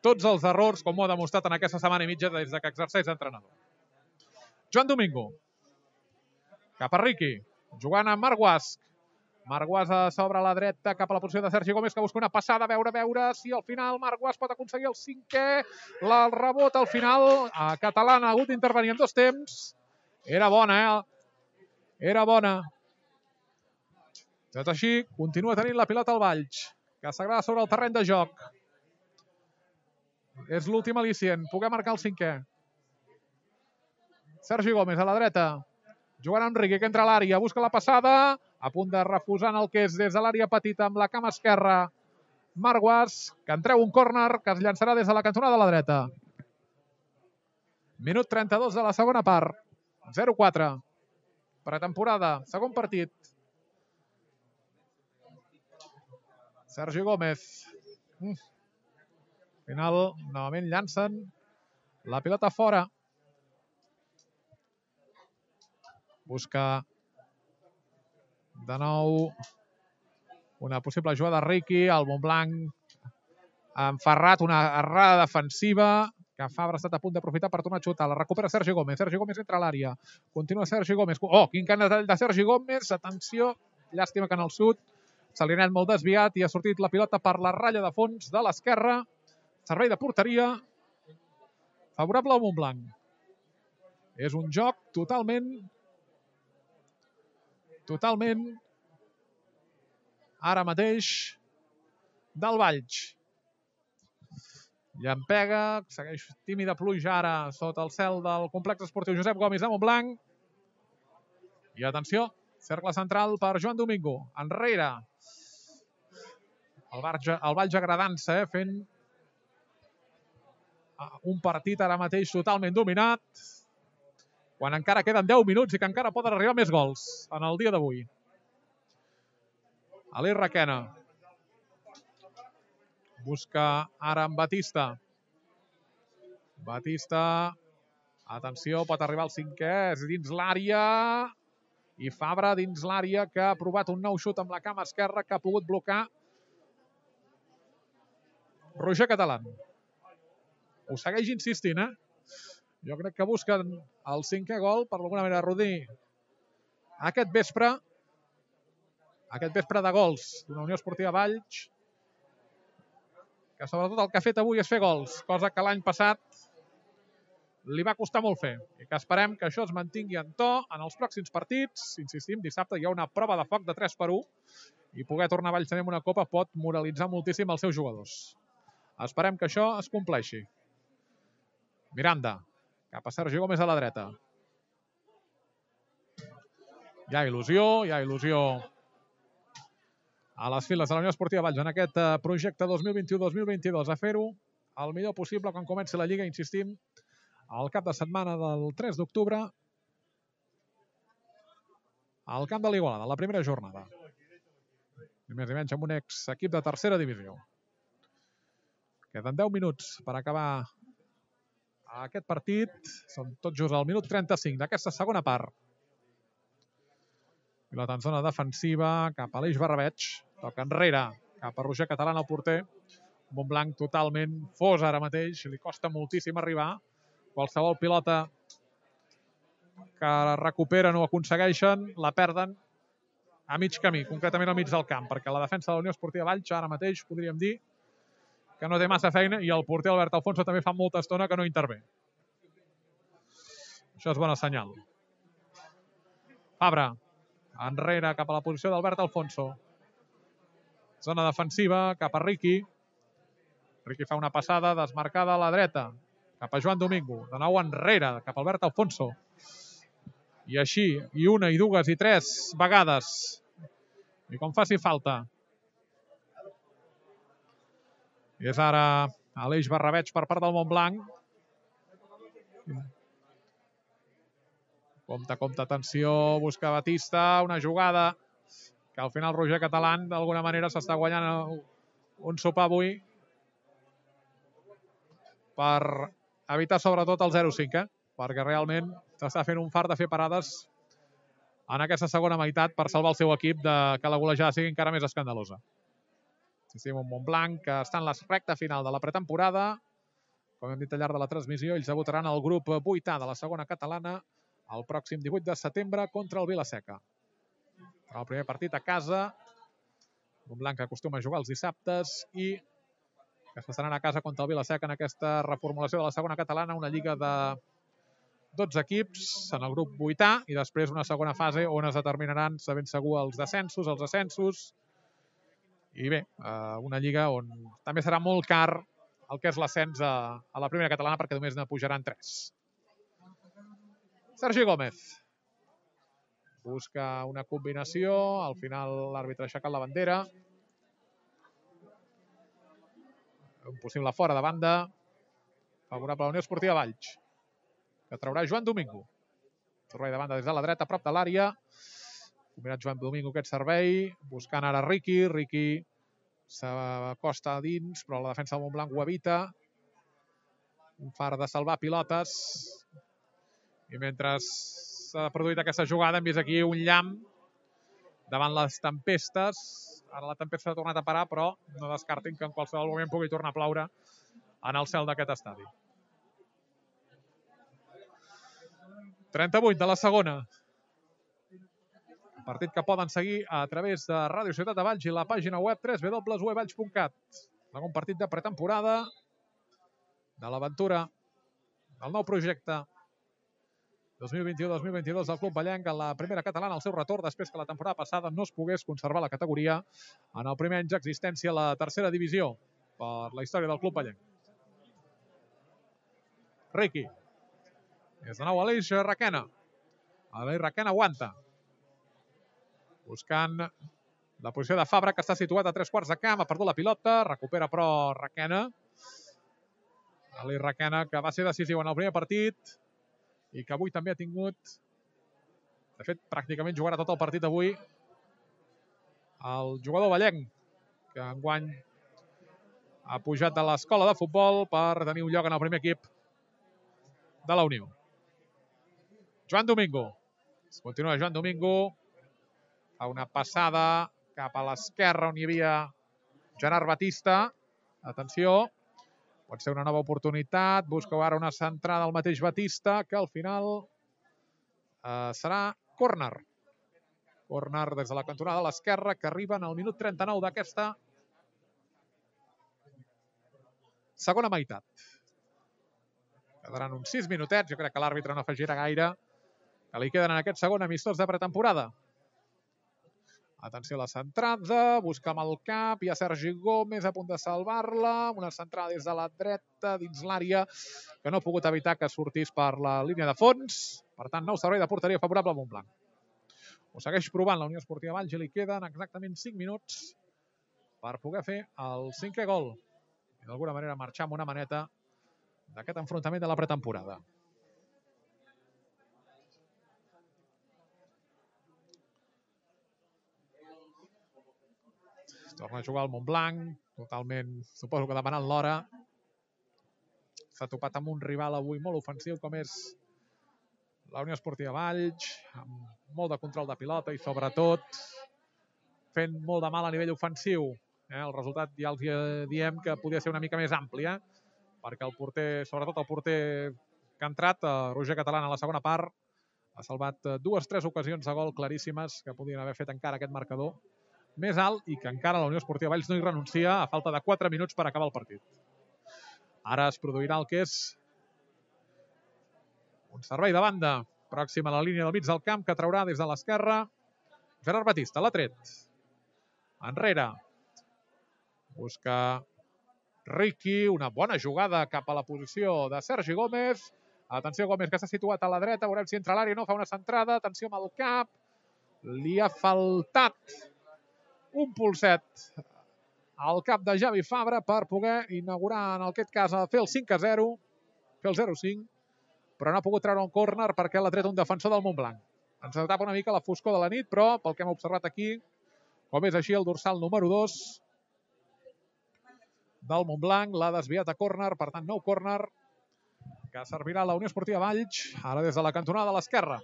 tots els errors, com ho ha demostrat en aquesta setmana i mitja des que exerceix d'entrenador. Joan Domingo. Cap a Riqui. Jugant amb Marc Guasch. Marc Guasch sobre la dreta cap a la posició de Sergi Gómez, que busca una passada, a veure si al final Marc Guasch pot aconseguir el 5è. El rebot al final. Catalán ha hagut d'intervenir en 2 temps. Era bona, Era bona. Tot així, continua tenint la pilota al Valls, que s'agrada sobre el terreny de joc. És l'últim al·licient. Poder marcar el 5è. Sergi Gómez a la dreta. Jugant amb Riqui, que entra a l'àrea. Busca la passada. A punt de refusar el que és des de l'àrea petita amb la cama esquerra. Marc Guasch, que en treu un córner que es llançarà des de la cantonada de la dreta. Minut 32 de la segona part. 0-4. Pretemporada. Segon partit. Sergi Gómez. Al final, novament llancen la pilota fora. Busca de nou una possible jugada de Riqui. El Montblanc ha enferrat una errada defensiva que Fabra ha estat a punt d'aprofitar per tornar a xutar. La recupera Sergi Gómez. Sergi Gómez entra a l'àrea. Continua Sergi Gómez. Quin canetall de Sergi Gómez. Atenció. Llàstima que en el sud se li ha anat molt desviat i ha sortit la pilota per la ratlla de fons de l'esquerra. Servei de porteria favorable al Montblanc. És un joc totalment ara mateix del Valls. Llampega, segueix tímida pluja ara sota el cel del complex esportiu Josep Gomis de Montblanc. I atenció, cercle central per Joan Domingo. Enrere. El Valls agradant-se, fent un partit ara mateix totalment dominat, quan encara queden 10 minuts i que encara poden arribar més gols en el dia d'avui. Aleix Requena. Busca ara en Batista. Batista. Atenció, pot arribar al 5è. És dins l'àrea. I Fabra dins l'àrea, que ha provat un nou xut amb la cama esquerra que ha pogut blocar Roger Catalán. Ho segueix insistint, Jo crec que busquen el 5è gol, per alguna manera, Rodí. Aquest vespre de gols d'una Unió Esportiva Valls, que sobretot el que ha fet avui és fer gols, cosa que l'any passat li va costar molt fer. I que esperem que això es mantingui en to en els pròxims partits. Insistim, dissabte hi ha una prova de foc de 3-1 i poder tornar a Valls també amb una copa pot moralitzar moltíssim els seus jugadors. Esperem que això es compleixi. Miranda, cap a Sergi Gómez a la dreta. Hi ha il·lusió a les files de la Unió Esportiva Valls en aquest projecte 2021-2022, a fer-ho el millor possible quan comenci la Lliga, insistim, al cap de setmana del 3 d'octubre al camp de l'Igualada, la primera jornada. I més i menys amb un equip de tercera divisió. Queden 10 minuts per acabar aquest partit. Són tot just al minut 35 d'aquesta segona part. Pilota en zona defensiva cap a l'Eix Barrabeig. Toca enrere cap a Roger Catalán, el porter. Montblanc totalment fos ara mateix. Li costa moltíssim arribar. Qualsevol pilota que recuperen o aconsegueixen la perden a mig camí, concretament al mig del camp, perquè la defensa de la Unió Esportiva Valls ara mateix podríem dir que no té massa feina i el porter Albert Alfonso també fa molta estona que no intervé. Això és bona senyal. Fabra, enrere cap a la posició d'Albert Alfonso. Zona defensiva cap a Riqui. Riqui fa una passada desmarcada a la dreta cap a Joan Domingo. De nou enrere cap a Albert Alfonso. I així, i una, i dues, i tres vegades. I com faci falta. I és ara Aleix Barrabeig per part del Montblanc. Compte, atenció, busca Batista, una jugada que al final Roger Catalán d'alguna manera s'està guanyant un sopar avui per evitar sobretot el 0-5, perquè realment s'està fent un fart de fer parades en aquesta segona meitat per salvar el seu equip de que la golejada sigui encara més escandalosa. Assistim un Montblanc que està en la recta final de la pretemporada. Com hem dit al llarg de la transmissió, ells debutaran al grup 8A de la segona catalana el pròxim 18 de setembre contra el Vilaseca. El primer partit a casa. Montblanc que acostuma a jugar els dissabtes i que s'estaran a casa contra el Vilaseca en aquesta reformulació de la segona catalana, una lliga de 12 equips en el grup 8A i després una segona fase on es determinaran, de ben segur, els descensos, els ascensos. I bé, una lliga on també serà molt car el que és l'ascens a la primera catalana perquè només ne pujaran 3. Sergi Gómez. Busca una combinació. Al final l'àrbitre ha aixecat la bandera. Un possible fora de banda. Favorable a la Unió Esportiva Valls. Que traurà Joan Domingo. Servei de banda des de la dreta, a prop de l'àrea. Combinat Joan Domingo aquest servei. Buscant ara Riqui. Riqui s'acosta a dins, però la defensa del Montblanc ho evita. Un far de salvar pilotes. I mentre s'ha produït aquesta jugada hem vist aquí un llamp davant les tempestes. Ara la tempesta s'ha tornat a parar, però no descartin que en qualsevol moment pugui tornar a ploure en el cel d'aquest estadi. 38 de la segona. Un partit que poden seguir a través de Ràdio Ciutat de Valls i la pàgina web www.valls.cat. Segon partit de pretemporada de l'aventura del nou projecte 2021-2022 del Club Vallenc en la primera catalana al seu retorn després que la temporada passada no es pogués conservar la categoria en el primer any d'existència a la tercera divisió per la història del Club Vallenc. Riqui. És de nou Aleix Requena. Aleix Requena aguanta. Buscant la posició de Fabra, que està situat a 3/4 de camp. Ha perdut la pilota. Recupera, però, Requena. Aleix Requena, que va ser decisiu en el primer partit i que avui també ha tingut... De fet, pràcticament jugarà tot el partit avui el jugador vallenc, que enguany ha pujat de l'escola de futbol per tenir un lloc en el primer equip de la Unió. Joan Domingo. Continua Joan Domingo. Fa una passada cap a l'esquerra on hi havia Gerard Batista. Atenció. Pot ser una nova oportunitat. Busca ara una centrada al mateix Batista, que al final serà córner. Córner des de la cantonada de l'esquerra, que arriba en el minut 39 d'aquesta segona meitat. Quedaran uns 6 minutets. Jo crec que l'àrbitre no afegirà gaire, que li queden en aquest segon amistós de pretemporada. Atenció a la centrada, busca amb el cap, hi ha Sergi Gómez a punt de salvar-la, una centrada des de la dreta dins l'àrea, que no ha pogut evitar que sortís per la línia de fons. Per tant, nou servei de porteria favorable al Montblanc. Ho segueix provant la Unió Esportiva Valls i li queden exactament 5 minuts per poder fer el 5è gol i d'alguna manera marxar amb una maneta d'aquest enfrontament de la pretemporada. Torna a jugar el Montblanc, totalment, suposo que demanant l'hora. S'ha topat amb un rival avui molt ofensiu com és la Unió Esportiva Valls, amb molt de control de pilota i sobretot fent molt de mal a nivell ofensiu. El resultat ja els diem que podia ser una mica més ampli, perquè el porter, sobretot el porter que ha entrat, Roger Catalán, a la segona part, ha salvat 2-3 ocasions de gol claríssimes que podien haver fet encara aquest marcador més alt i que encara la Unió Esportiva Valls no hi renuncia a falta de 4 minuts per acabar el partit. Ara es produirà el que és un servei de banda pròxim a la línia del mig del camp que traurà des de l'esquerra Gerard Batista. L'ha tret. Enrere. Busca Riqui. Una bona jugada cap a la posició de Sergi Gómez. Atenció, Gómez, que s'ha situat a la dreta. Veurem si entra a l'àrea o no. Fa una centrada. Atenció amb el cap. Li ha faltat un polset al cap de Javi Fabra per poder inaugurar, en aquest cas, fer el 5-0, fer el 0-5, però no ha pogut treure un córner perquè l'ha tret un defensor del Montblanc. Ens tapa una mica la foscor de la nit, però pel que hem observat aquí, com és així, el dorsal número 2 del Montblanc l'ha desviat a córner, per tant, nou córner que servirà a la Unió Esportiva Valls, ara des de la cantonada de l'esquerra.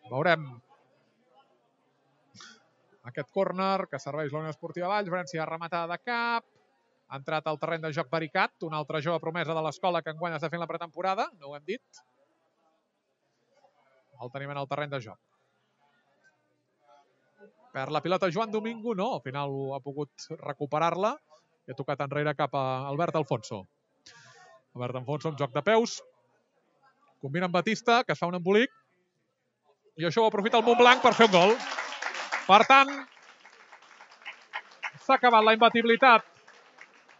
Veurem aquest córner que serveix la Unió Esportiva Valls. Veurem si ha rematada de cap. Ha entrat al terreny de joc Baricat, una altra jove promesa de l'escola que enguany està fent la pretemporada, no ho hem dit. El tenim en el terreny de joc. Per la pilota Joan Domingo, no, al final ha pogut recuperar-la i ha tocat enrere cap a Albert Alfonso. Albert Alfonso amb joc de peus, combina amb Batista, que es fa un embolic, i això ho aprofita el Montblanc per fer un gol. Per tant, s'ha acabat la imbatibilitat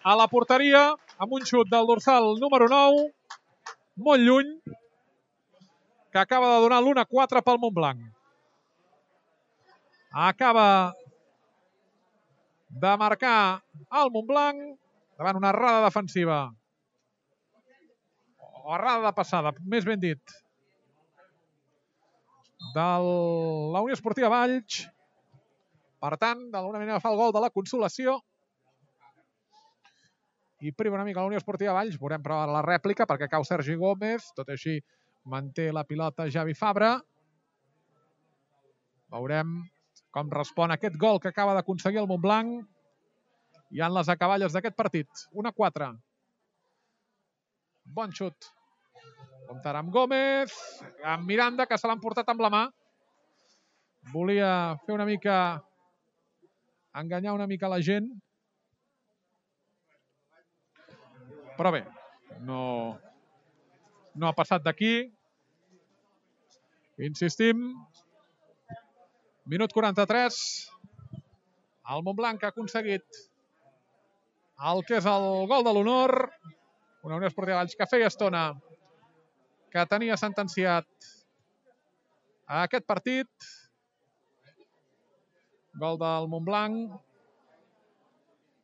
a la porteria amb un xut del dorsal número 9, molt lluny, que acaba de donar l'1-4 pel Montblanc. Acaba de marcar el Montblanc davant una errada defensiva. O errada de passada, més ben dit, de la Unió Esportiva Valls. Per tant, d'alguna manera fa el gol de la consolació i priva una mica la Unió Esportiva Valls. Veurem però la rèplica perquè cau Sergi Gómez. Tot així manté la pilota Javi Fabra. Veurem com respon aquest gol que acaba d'aconseguir el Montblanc i en les acaballes d'aquest partit. 1-4. Bon xut. Comptarà amb Gómez, amb Miranda, que se l'han portat amb la mà. Volia fer una mica... enganyar una mica la gent. Però bé, no no ha passat d'aquí. Insistim. Minut 43. El Montblanc ha aconseguit el que és el gol de l'honor. Una Unió Esportiva Valls que feia estona que tenia sentenciat aquest partit. Gol del Montblanc.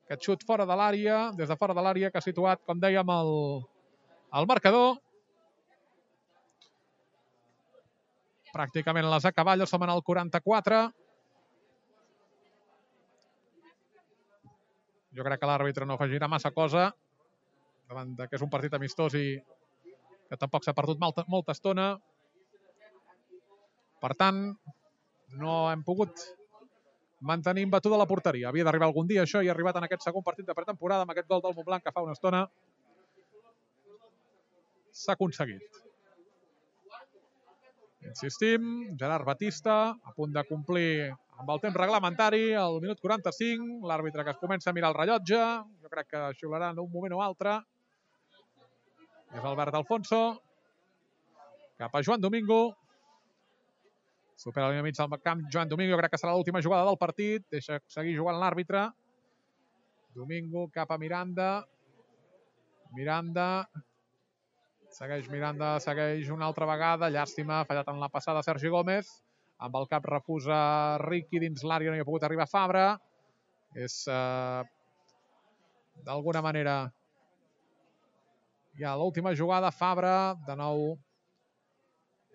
Aquest xut fora de l'àrea, des de fora de l'àrea, que ha situat, com dèiem, el marcador. Pràcticament les acaballes, som en el 44. Jo crec que l'àrbitre no afegirà massa cosa davant que és un partit amistós i que tampoc s'ha perdut molta estona. Per tant, no hem pogut mantenir imbatuda la porteria. Havia d'arribar algun dia això i ha arribat en aquest segon partit de pretemporada amb aquest gol del Montblanc que fa una estona s'ha aconseguit. Insistim, Gerard Batista a punt de complir amb el temps reglamentari, al minut 45, l'àrbitre que es comença a mirar el rellotge, jo crec que xiularà en un moment o altre. És Albert Alfonso, cap a Joan Domingo. Supera la línia mig del camp Joan Domingo, jo crec que serà l'última jugada del partit. Deixa seguir jugant l'àrbitre. Domingo cap a Miranda. Miranda. Segueix Miranda, segueix una altra vegada. Llàstima, ha fallat en la passada Sergi Gómez. Amb el cap refusa Riqui dins l'àrea, no hi ha pogut arribar Fabra. És, d'alguna manera, ja l'última jugada. Fabra, de nou,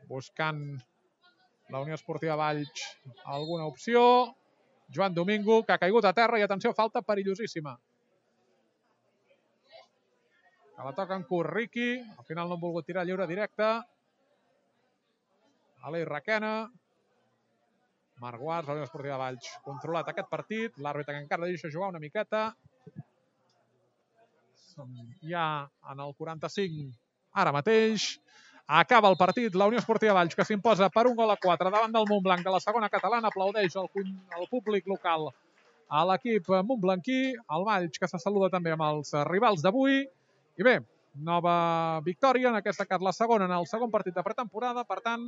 buscant la Unió Esportiva Valls alguna opció. Joan Domingo, que ha caigut a terra i, atenció, falta perillosíssima. Que la toca en curt Riqui. Al final no han volgut tirar lliure directe. Aleix Requena. Marc Guars, la Unió Esportiva Valls, controlat aquest partit. L'àrbitre que encara deixa jugar una miqueta. Ja en el 45, ara mateix. Acaba el partit, la Unió Esportiva Valls, que s'imposa per 1-4 davant del Montblanc de la segona catalana. Aplaudeix el públic local a l'equip montblanquí. El Valls, que se saluda també amb els rivals d'avui. I bé, nova victòria, en aquesta cas la segona en el segon partit de pretemporada. Per tant,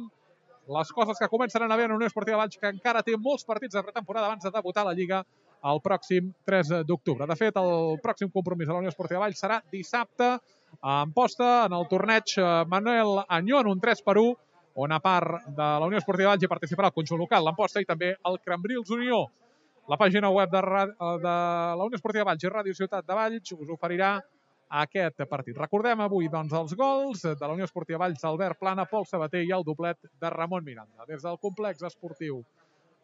les coses que comencen a anar bé en la Unió Esportiva Valls, que encara té molts partits de pretemporada abans de debutar a la Lliga el pròxim 3 d'octubre. De fet, el pròxim compromís de la Unió Esportiva Valls serà dissabte a Amposta, en el torneig Manuel Añó, en un 3-1, on a part de la Unió Esportiva Valls hi participarà el conjunt local, l'Amposta, i també el Cambrils Unió. La pàgina web de la Unió Esportiva Valls i Ràdio Ciutat de Valls us oferirà aquest partit. Recordem avui, doncs, els gols de la Unió Esportiva Valls d'Albert Plana, Pol Sabater i el doblet de Ramon Miranda. Des del complex esportiu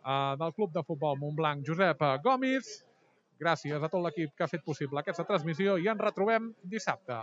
del Club de Futbol Montblanc, Josep Gomis. Gràcies a tot l'equip que ha fet possible aquesta transmissió i ens retrobem dissabte.